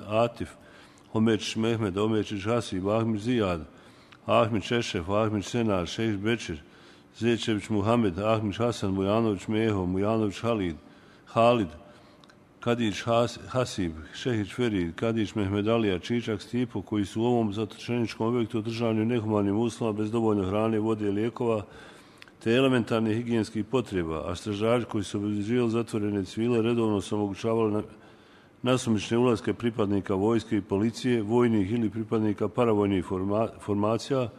Atif, Omerčić Mehmed, Omerčić Hasib, Ahmić Zijad, Ahmić Šešef, Ahmić Senar, Šehić Bečir, Zečević Muhamed, Ahmić Hasan, Mujanović Meho, Mujanović Halid, Kadić Hasib, Šehić Ferid, Kadić Mehmedalija, Čičak Stipo, koji su u ovom zatočeničkom objektu održavani u nehumanim uslovima bez dovoljno hrane, vode i lijekova, te elementarnih higijenskih potreba, a stražari koji su obezbeđivali zatvorene civile redovno su omogućavali nasumične ulaske pripadnika vojske i policije, vojnih ili pripadnika paravojnih formacija,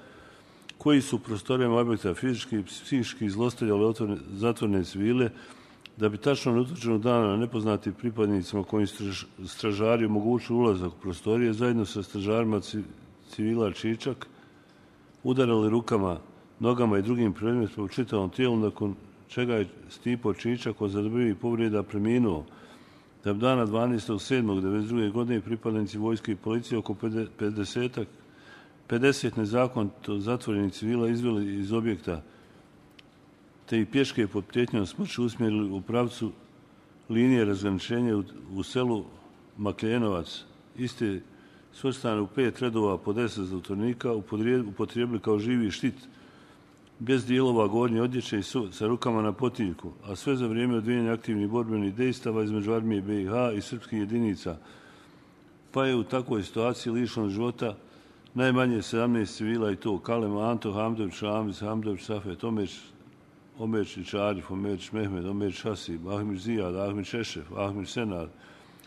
koji su prostorijama objekta fizički i psihički zlostavljali zatvorene civile, da bi tačno na utvrđenog dana nepoznatim pripadnicima koji stražari omogućili ulazak u prostorije, zajedno sa stražarima civila Čičak, udarali rukama, nogama i drugim predmetima u čitavom tijelu, nakon čega je Stipo Čičak od zadobivih povreda preminuo, da bi dana 12.7.1992. godine pripadnici vojske i policije oko 50 nezakonito zatvorenih civila izveli iz objekta, te i pješke pod prijetnjom smrću usmjerili u pravcu linije razgraničenja u selu Makljenovac. Iste svrstane u 5 redova po 10 zatvorenika upotrijebili kao živi štit, bez dijelova gornje odjeće i sa rukama na potiljku, a sve za vrijeme odvijanja aktivnih borbenih dejstava između armije BiH i srpskih jedinica, pa je u takvoj situaciji lišeno života najmanje 17 civila, i to Kalem Anto, Hamdović Ramiz, Hamdović Safet, Omerčić Arif, Omerčić Mehmed, Omerčić Hasib, Ahmić Zijad, Ahmić Šešef, Ahmić Senar,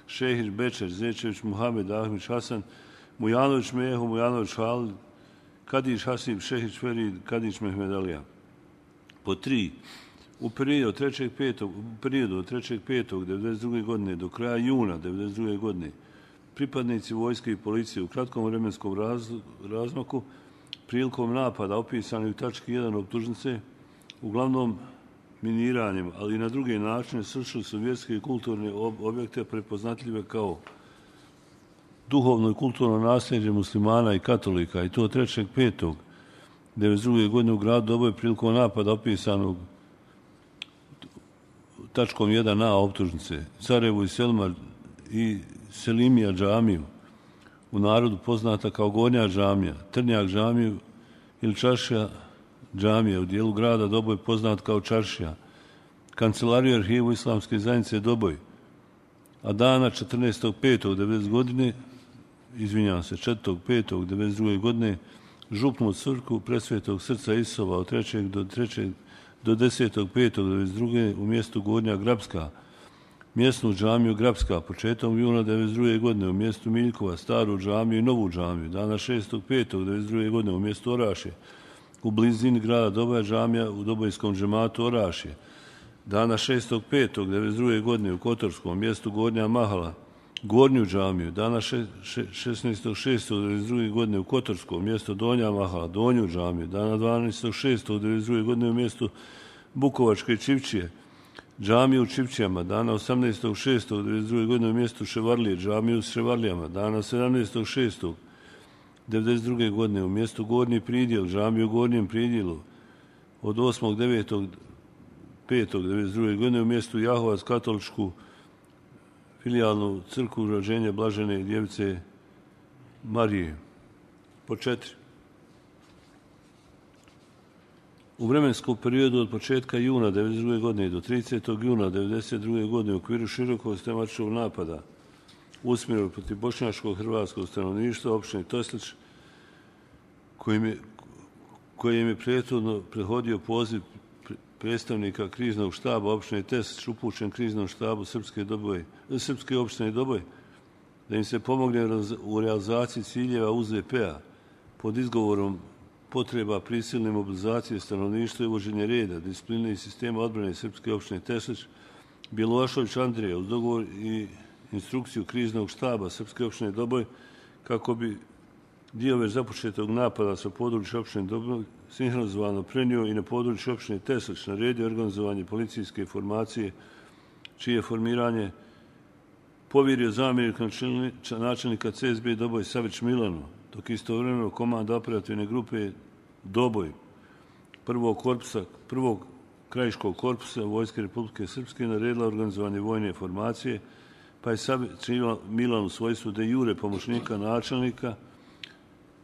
Šehić Bečer, Zečević Muhamed, Ahmić Hasan, Mujanović Meho, Mujanović Halid, Kadić Hasib, Šehić Ferid, Kadić Mehmedalija. Po 3. U periodu od 3.5.1992. godine do kraja juna 1992. godine pripadnici vojske i policije u kratkom vremenskom razmaku prilikom napada opisani u tački 1 optužnice, uglavnom miniranjem, ali i na druge načine srušili su vjerske i kulturne objekte prepoznatljive kao duhovno i kulturno nasljeđe muslimana i katolika, i to 3.5.1992. godine u gradu Doboj prilikom napada opisanog tačkom 1a optužnice, Sarajevu i Selma i Selimija džamiju, u narodu poznata kao Gornja džamija, Trnjak džamiju ili Čaršija džamija, u dijelu grada Doboj poznat kao Čaršija, kancelariju i arhivu Islamske zajednice Doboj, a dana 4.5.1992. godine župnu crkvu Presvetog srca Isova od 3. do 10.5.1992. u mjestu Gornja Grabska, mjesnu džamiju Grabska početkom juna 1992. godine u mjestu Miljkova, staru džamiju i novu džamiju, dana 6.5.1992. godine u mjestu Orašje, u blizini grada Doboja džamija u Dobojskom džematu Orašje, dana 6.5.1992. godine u Kotorskom mjestu Gornja Mahala, Gornju džamiju, dana 16.6.1992. godine u Kotorskom mjesto Donja Mahala, Donju džamiju, dana 12.6.1992. godine u mjestu Bukovačke Čivčije, džamiju u Čivčijama, dana 18.6.1992. godine u mjestu Ševarlije, džamiju s Ševarlijama, dana 17.6.1992. godine u mjestu Gornji Pridjel, džamiju u Gornjem Pridjelu, od 8.9.5.1992. godine u mjestu Jahovac katoličku filijalnu crkvu rođenja Blažene djevice Marije. Po 4. U vremenskom periodu od početka juna 1992. godine do 30. juna 1992. godine u okviru širokog sistematičnog napada usmjerenog protiv bošnjačkog hrvatskog stanovništva opštine Toslić, kojim je prethodno prethodio poziv predstavnika kriznog štaba opštine Teslić upućen kriznom štabu Srpske opštine Doboj, da im se pomogne u realizaciji ciljeva UZP-a pod izgovorom potreba prisilne mobilizacije stanovništva i uvođenje reda, discipline i sistema odbrane Srpske opštine Teslić, Bjelovašović Andrija uz dogovor i instrukciju kriznog štaba Srpske opštine Doboj kako bi dio već započetog napada sa područja opštine Doboj sinhronizovano prenio i na području opštine Teslić, naredio organizovanje policijske formacije, čije formiranje povjerio zamjenik načelnika CSB Doboj Savić Milanu, dok istovremeno komanda operativne grupe Doboj prvog krajiškog korpusa Vojske Republike Srpske naredila organizovanje vojne formacije, pa je Savić Milan u svojstvu de jure pomoćnika načelnika,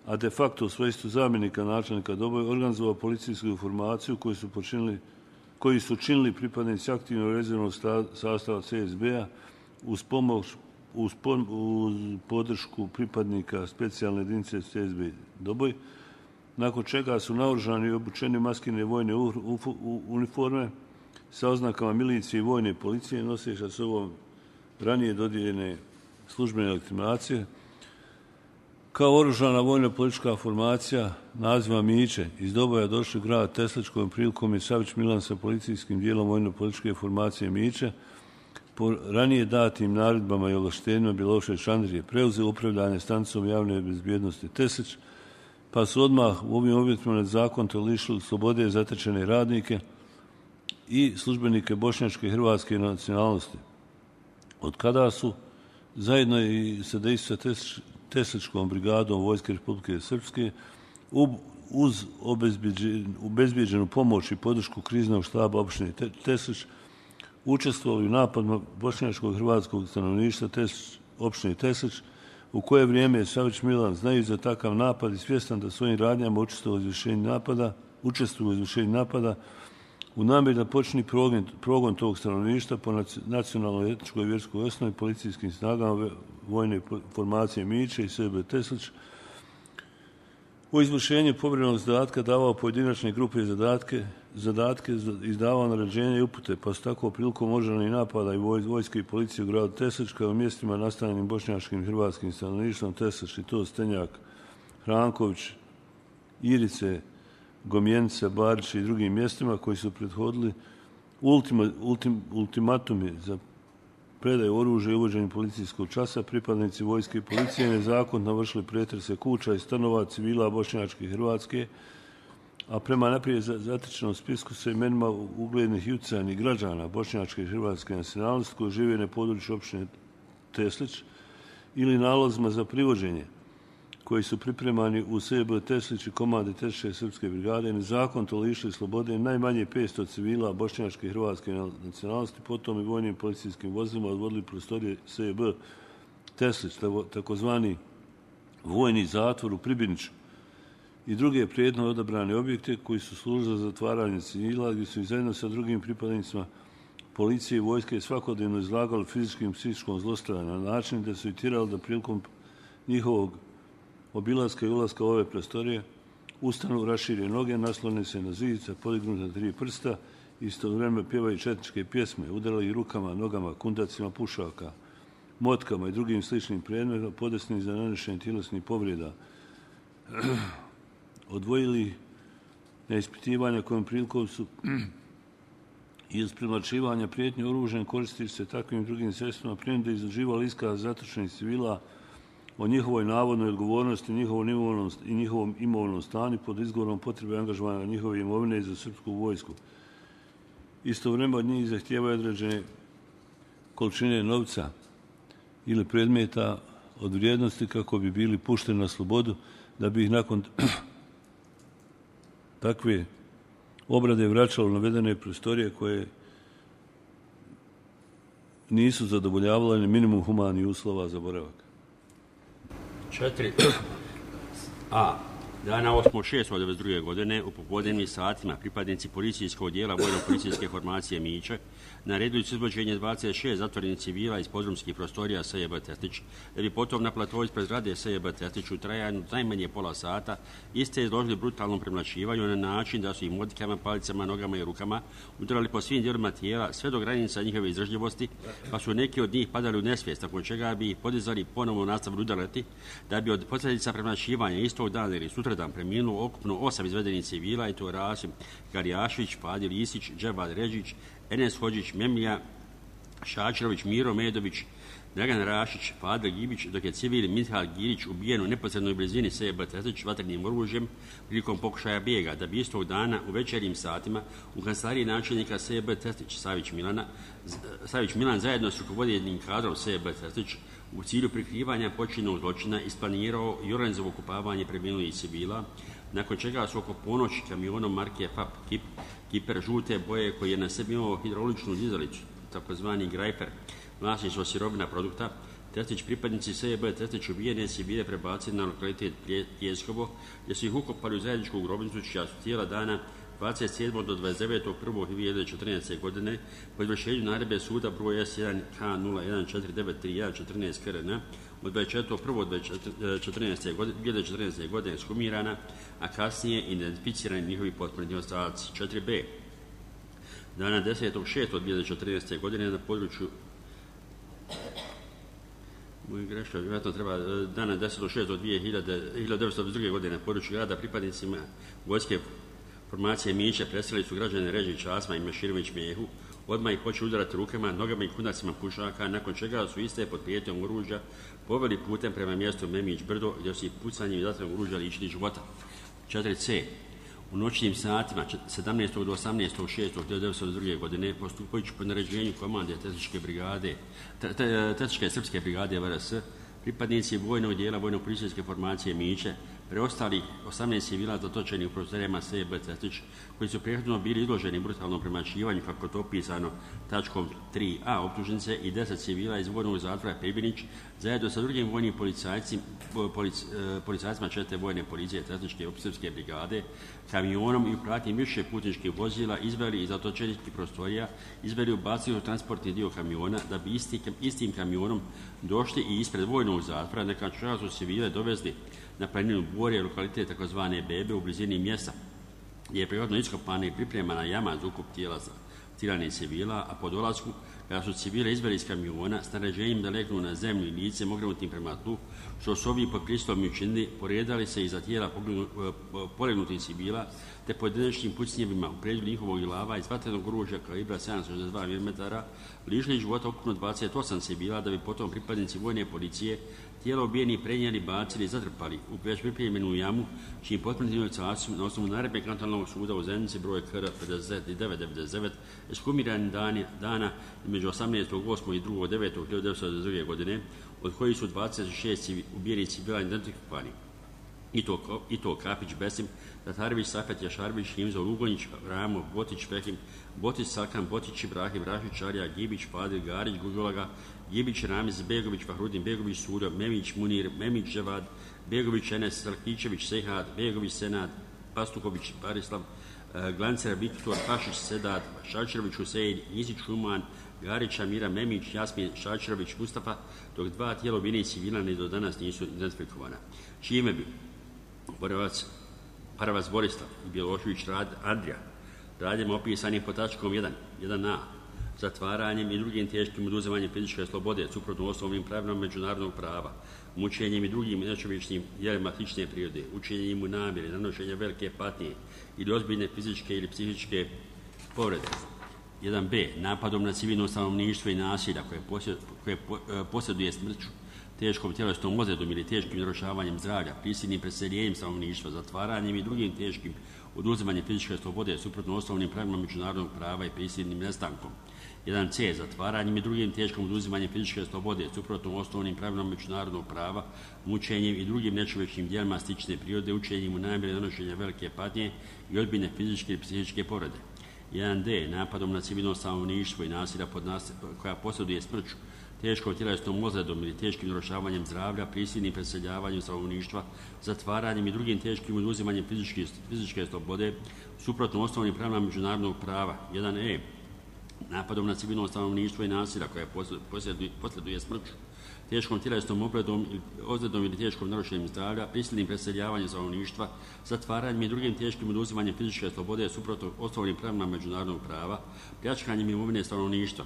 a de facto u svojstvu zamjenika načelnika Doboj organizovao policijsku formaciju koju su činili pripadnici aktivno rezervnog sastava CSB-a uz podršku pripadnika specijalne jedinice CSB Doboj, nakon čega su naoružani i obučeni maskirne vojne uniforme sa oznakama milicije i vojne policije, noseći sa sobom ranije dodijeljene službene legitimacije, kao oružana vojna politička formacija naziva Miće iz Doboja došli u grad Teslić, kojom prilikom je Savić Milan sa policijskim dijelom vojno političke formacije Miće po ranije datim naredbama i ovlaštenjima Milošević Andrije preuzeo upravljanje stanicom javne bezbjednosti Teslić, pa su odmah u ovim uvjetima nezakonito lišili slobode zatečene radnike i službenike bošnjačke i hrvatske nacionalnosti, od kada su zajedno i sa Tesličkom brigadom Vojske Republike Srpske uz obezbijeđenu pomoć i podršku kriznog štaba opštine Teslić učestvovali u napadima bošnjačkog i hrvatskog stanovništva opštine Teslić, u koje vrijeme je Savić Milan, znajući za takav napad i svjestan da svojim radnjama učestvuje u izvršenju napada, u namjeri da počini progon tog stanovništva po nacionalnoj, etničkoj i vjerskoj osnovi policijskim snagama vojne formacije Miće i SB Teslić, u izvršenju povjerenog zadatka davao pojedinačne grupe i zadatke, izdavao naređenja i upute, pa su tako prilikom oružanih napada i vojske i policije u gradu Teslić, kao u mjestima nastanjenim bošnjačkim i hrvatskim stanovništvom Teslić i to Stenjak, Hranković, Irice, Gomjenica, Barić i drugim mjestima koji su prethodili ultimatumi za predaju oružja i uvođenje policijskog časa, pripadnici vojske i policije nezakonito navršili pretrese kuća i stanova civila bošnjačke i hrvatske, a prema naprijed zatečenom spisku sa imenima uglednih i utjecajnih građana bošnjačke i hrvatske nacionalnosti koji žive na području opštine Teslić ili nalozima za privođenje koji su pripremani u SB Teslić i komandi Tesličke srpske brigade, nezakonito lišili slobode najmanje 500 civila bošnjačke i hrvatske nacionalnosti, potom i vojnim policijskim vozilima odvodili prostorije SB Teslić, takozvani vojni zatvor u Pribiniću i druge prijedno odabrane objekte koji su služili za zatvaranje civila, gdje su i zajedno sa drugim pripadnicima policije i vojske svakodnevno izlagali fizičkim i psihičkom zlostavljanju na način da su i tirali da prilikom njihovog obilaska i ulaska u ove prostorije ustanu, rašire noge, naslone se na zidica, podignuta 3 prsta, istovremeno pjevaju četničke pjesme, udarali rukama, nogama, kundacima pušaka, motkama i drugim sličnim predmetima podesnim za nanošenje tjelesnih povreda. Odvojili na ispitivanja kojom prilikom su iz premlačivanja prijetnje oružjem koristili se takvim drugim sredstvima prije da izraživali iskaz zatočenih civila o njihovoj navodnoj odgovornosti, njihovom imovnom stanju pod izgovorom potrebe angažovanja njihove imovine za srpsku vojsku. Istovremeno od njih zahtijevaju određene količine novca ili predmeta od vrijednosti kako bi bili pušteni na slobodu, da bi ih nakon takve obrade vraćalo u navedene prostorije koje nisu zadovoljavale ni minimum humanih uslova za boravak. 4a. Dana 8.6.1992. godine u popodnevnim satima pripadnici policijskog dijela vojno-policijske formacije Miće nareduju izvođenje 26 zatvorenih civila iz podrumskih prostorija SJB Teslić, da bi potom na platovu ispred zgrade SJB Teslić u trajanju najmanje pola sata iste izložili brutalnom premlaćivanju na način da su im motikama, palicama, nogama i rukama udarali po svim dijelovima tijela sve do granica njihove izdržljivosti, pa su neki od njih padali u nesvijest, nakon čega bi ih podizali ponovno nastavili udarati, da bi od posljedica premlaćivanja istog dana ili sutradan preminulo ukupno 8 izvedenih civila, i to Rasim Garjašić, Fadil Isić, Dževad Ređić, Enes Hođić, Memlija, Šačirović, Miro Medović, Dragan Rašić, Fadil Gibić, dok je civil Mihal Girić ubijen u neposrednoj blizini S.B. Testić vatrenim oružjem prilikom pokušaja bijega, da bi istog dana u večernjim satima u kancelariji načelnika S.B. Testić Savić Milan zajedno s rukovoditeljem kadrom S.B. Testić u cilju prikrivanja počinjenog zločina isplanirao i organizovao okupavanje preminulih civila, nakon čega su oko ponoći kamionom marke FAP Kiper žute boje koji je na sebi imao hidrauličnu dizalicu, takozvani grajper, vlasništvo sirovina produkta, Testić pripadnici S.B. Testić ubijene civile prebacili na lokalitet Pljeskovo, gdje su ih ukopali u zajedničku grobnicu čija su tijela dana 27. do 29.1.2014. godine po izvršenju naredbe suda broj S1 K01493114 KRN od 24.1.2014. godine ekshumirana, a kasnije identificirani njihovi posmrtni ostaci. 4b. Dana 10.6.2014. godine na području dana 10.6.1922. godine na području grada pripadnicima vojske formacije Miće preselili su građane Ređić Asma i Meširović Mijehu, odmah ih počeli udarati rukama, nogama i kunacima pušaka, nakon čega su iste pod prijetnjom oružja poveli putem prema mjestu Memić Brdo, gdje su ih pucanjem i vatrenog oružja lišili života. 4c. U noćnim satima 17. do 18.6.1922. godine, postupajući po naređenju komande Tetičke srpske brigade VRS, pripadnici vojnog dijela vojno-policijske formacije Miće, preostalih 18 civila zatočenih u prostorijama S.B. Testić, koji su prethodno bili izloženi brutalnom premašivanju, kako to opisano tačkom 3a optužnice, i 10 civila iz vojnog zatvora Pebinić, zajedno sa drugim vojnim policajcima 4. vojne policije Testičke srpske brigade, kamionom i u pratnji više putničkih vozila izveli iz zatočenih prostorija, izveli ubacili u transportni dio kamiona, da bi istim kamionom došli i ispred vojnog zatvora, nakon čega su civile dovezli na planinu Borje, lokalitet tzv. Bebe u blizini mjesta, gdje je prirodno iskopana i pripremana jama za ukup tijela tiranih civila, a po dolasku, kada su civile izveli iz kamiona s naređenjem da legnu na zemlju i lice mogrenutim prema tlu, što su ovi pod prisilom učinili, poredali se iza tijela polegnutih civila, te pojedinačnim pucnjevima u predjelju njihovog glava iz vatrenog oružja kalibra 762 mm lišili života ukupno 28 civila, da bi potom pripadnici vojne policije tijela ubijenih prenijeli, bacili i zatrpali u već pripremljenu jamu, čijim potvrđenim ocacom na osnovu naredbe kantonalnog suda u Zenici broj KR 5999 ekshumirani dana između 18.8. i 2.9.1922. godine, od kojih su 26 ubijenih civila identifikovani. I to Kapić, Besim, Tatarević, Safet, Jašarević, Himzo, Lugonjić, Ramo, Botić, Fehim, Botić, Salkan, Botić, Ibrahim, Rašić, Čarija, Gibić, Fadil, Garić, Gužolaga, Gibić, Ramiz, Begović, Fahrudin, Begović, Sudo, Memić, Munir, Memić, Ževad, Begović, Enes, Sarkićević, Sehad, Begović, Senad, Pastuković, Barislav, Glancer, Viktor, Pašić, Sedad, Šačirović, Husein, Isić, Šuman, Garić, Amira, Memić, Jasmin, Šačirović, Mustafa, dok dva tijela ubijenih civila ni do danas nisu identifikovana. Čime bi Paravac Borislav i Bjelošević Andrija, radnjem opisanim po tačkom 1a, zatvaranjem i drugim teškim oduzimanjem fizičke slobode, suprotno osnovnim pravilima međunarodnog prava, mučenjem i drugim nečovječnim djelima slične prirode, učinjenjem u namjeri, nanošenja velike patnje ili ozbiljne fizičke ili psihičke povrede. 1b. Napadom na civilno stanovništvo i nasilja koje posjeduje smrću, teškom tjelesnom ozljedom ili teškim narušavanjem zdravlja, prisilnim preseljenjem stanovništva, zatvaranjem i drugim teškim oduzimanjem fizičke slobode suprotno osnovnim pravilima međunarodnog prava i prisilnim nestankom. 1c. Zatvaranjem i drugim teškim oduzimanjem fizičke slobode suprotno osnovnim pravilima međunarodnog prava, mučenjem i drugim nečovječnim djelima slične prirode, učenjem u namjeri nanošenja velike patnje i ozbiljne fizičke i psihičke povrede. 1d. Napadom na civilno stanovništvo i nasilja koja posjeduje smrću, teškom tjelesnom ozljedom ili teškim narušavanjem zdravlja, prisilnim preseljavanjem stanovništva, zatvaranjem i drugim teškim oduzimanjem fizičke slobode, suprotno osnovnim pravilima međunarodnog prava. 1e. Napadom na civilno stanovništvo i nasilja koja posjeduje smrću, teškom tjelesnom ozljedom ili teškom narušenjem zdravlja, prisilnim preseljavanjem stanovništva, zatvaranjem i drugim teškim oduzimanjem fizičke slobode suprotno osnovnim pravilima međunarodnog prava, pljačkanjem imovine stanovništva.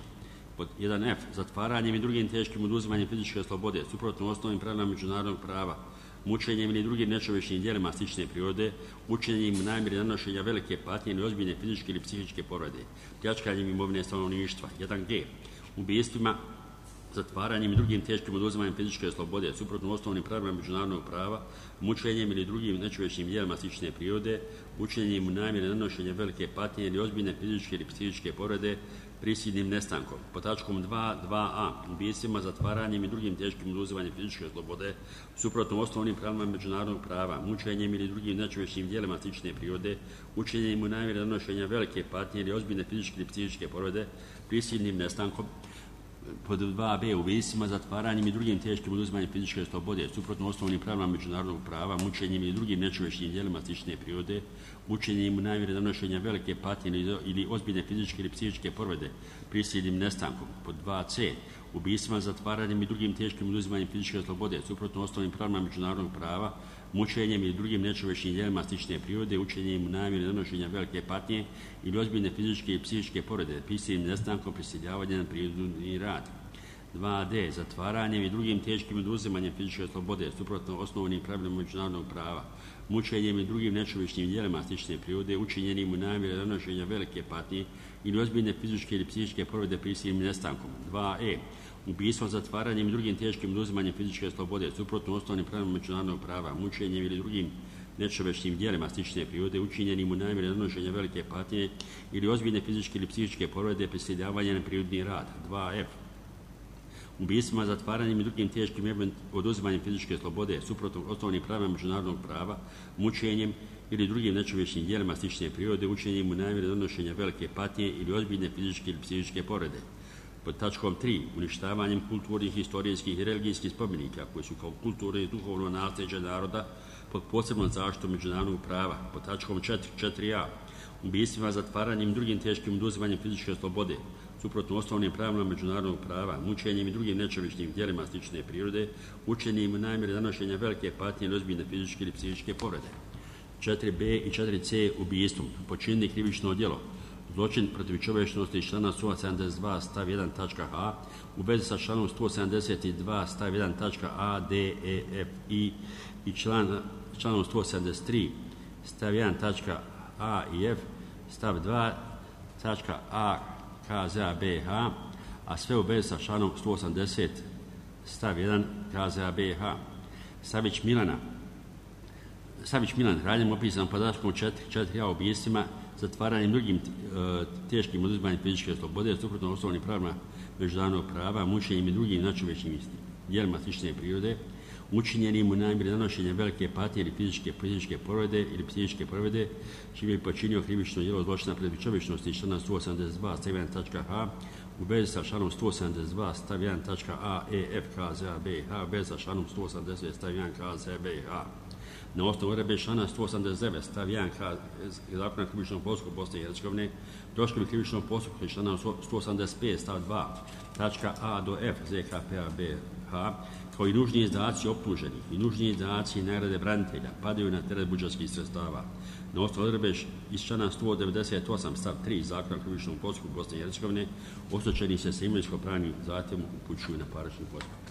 Pod 1f. Zatvaranjem i drugim teškim oduzimanjem fizičke slobode suprotno osnovnim pravilima međunarodnog prava, mučenjem ili drugim nečovječnim djelima slične prirode, učinjenjem u namjeri nanošenja velike patnje ili ozbiljne fizičke ili psihičke povrede, pljačkanjem imovine stanovništva. 1g. Ubijstvima zatvaranjem i drugim teškim oduzimanjem fizičke slobode, suprotno osnovnim pravilima međunarodnog prava, mučenjem ili drugim nečovječnim djelima slične prirode, učinjenjem u namjeri nanošenja velike patnje ili ozbiljne fizičke ili psihičke povrede, prisilnim nestankom. Pod tačkom 2.2a. ubijstvima, zatvaranjem i drugim teškim oduzimanjem fizičke slobode, suprotno osnovnim pravilima međunarodnog prava, mučenjem ili drugim nečovječnim djelima slične prirode, učinjenjem u namjeri nanošenja velike patnje ili ozbiljne fizičke ili psihičke povrede, prisilnim nestankom. Pod 2b. ubijstvima, zatvaranjem i drugim teškim oduzimanjem fizičke slobode, suprotno osnovnim pravilima međunarodnog prava, mučenjem i drugim nečovječnim djelima slične prirode, učinjenjem u namjeri nanošenja velike patnje ili ozbiljne fizičke ili psihičke povrede, prisilnim nestankom. Pod 2c. ubijstvima, zatvaranjem i drugim teškim oduzimanjem fizičke slobode, suprotno osnovnim pravilima međunarodnog prava, mučenjem ili drugim nečovječnim djelima slične prirode, učinjenjem u namjeri nanošenja velike patnje ili ozbiljne fizičke i psihičke povrede, prisilnim nestankom, prisiljavanja na prinudni rad. 2d. zatvaranjem i drugim teškim oduzimanjem fizičke slobode, suprotno osnovnim pravilima međunarodnog prava, mučenjem i drugim nečovječnim djelima slične prirode, učinjenim u namjeri nanošenja velike patnje ili ozbiljne fizičke ili psihičke povrede, prisilnim nestankom. 2e. ubijstvom, zatvaranjem i drugim teškim oduzimanjem fizičke slobode, suprotno osnovnim pravilima međunarodnog prava, mučenjem ili drugim nečovječnim djelima slične prirode, učinjenim u namjeri nanošenja velike patnje ili ozbiljne fizičke ili psihičke povrede, prisiljavanja na prinudni rad. 2f. ubijstvima, zatvaranjem i drugim teškim oduzimanjem fizičke slobode, suprotno osnovnim pravilima međunarodnog prava, mučenjem ili drugim nečovječnim djelima slične prirode, učinjenim u namjeri nanošenja velike patnje ili ozbiljne fizičke ili psihičke povrede. Pod tačkom 3. uništavanjem kulturnih, historijskih i religijskih spomenika koji su kao kulturno i duhovno nasljeđe naroda pod posebnom zaštitom međunarodnog prava. Pod tačkom 4a. ubijstvima, zatvaranjem i drugim teškim oduzimanjem fizičke slobode, suprotno osnovnim pravilima međunarodnog prava, mučenjem i drugim nečovječnim djelima slične prirode, učinjenim u namjeri nanošenja velike patnje ili ozbiljne fizičke ili psihičke povrede. 4b i 4c. ubijstvom, počinili krivično djelo, zločin protiv čovječnosti iz člana 172 stav 1 tačka a u vezi sa članom 172 stav 1 tačka a, d, e, f, i članom 173 stav 1 tačka a i f, stav 2 tačka a KZA BH, a sve u vezi sa članom 180 stav 1 KZA BH. Savić Milan, radnjom opisan podatkom 4a ubijstvima, zatvaranjem drugim teškim oduzimanjem fizičke slobode, suprotno osnovnim pravilima međunarodnog prava, mučenjem i drugim nečovječnim djelima slične prirode, učinjenim u namjeri nanošenja velike patnje ili fizičke povrede ili psihičke povrede, čime je počinio krivično djelo zločina protiv čovječnosti iz člana 182 stav 1 tačka h u vezi sa članom 172 stav 1 tačka a, e, f, KZA BH, u vezi sa članom 180 stav 1 KZA BH. Na osnovu odredbe člana 189 stav 1 Zakona o krivičnom postupku Bosne i Hercegovine, troškovi krivičnog postupka iz člana 185 stav 2 tačka a do f ZKP-a BH, kao i nužni izdaci optuženih i nužni izdaci nagrade branitelja padaju na teret budžetskih sredstava. Na osnovu odredbe iz člana 198 stav 3 Zakona o krivičnom postupku Bosne i Hercegovine, oštećeni se sa imovinsko-pravnim zahtjevom upućuju na parnični postupak.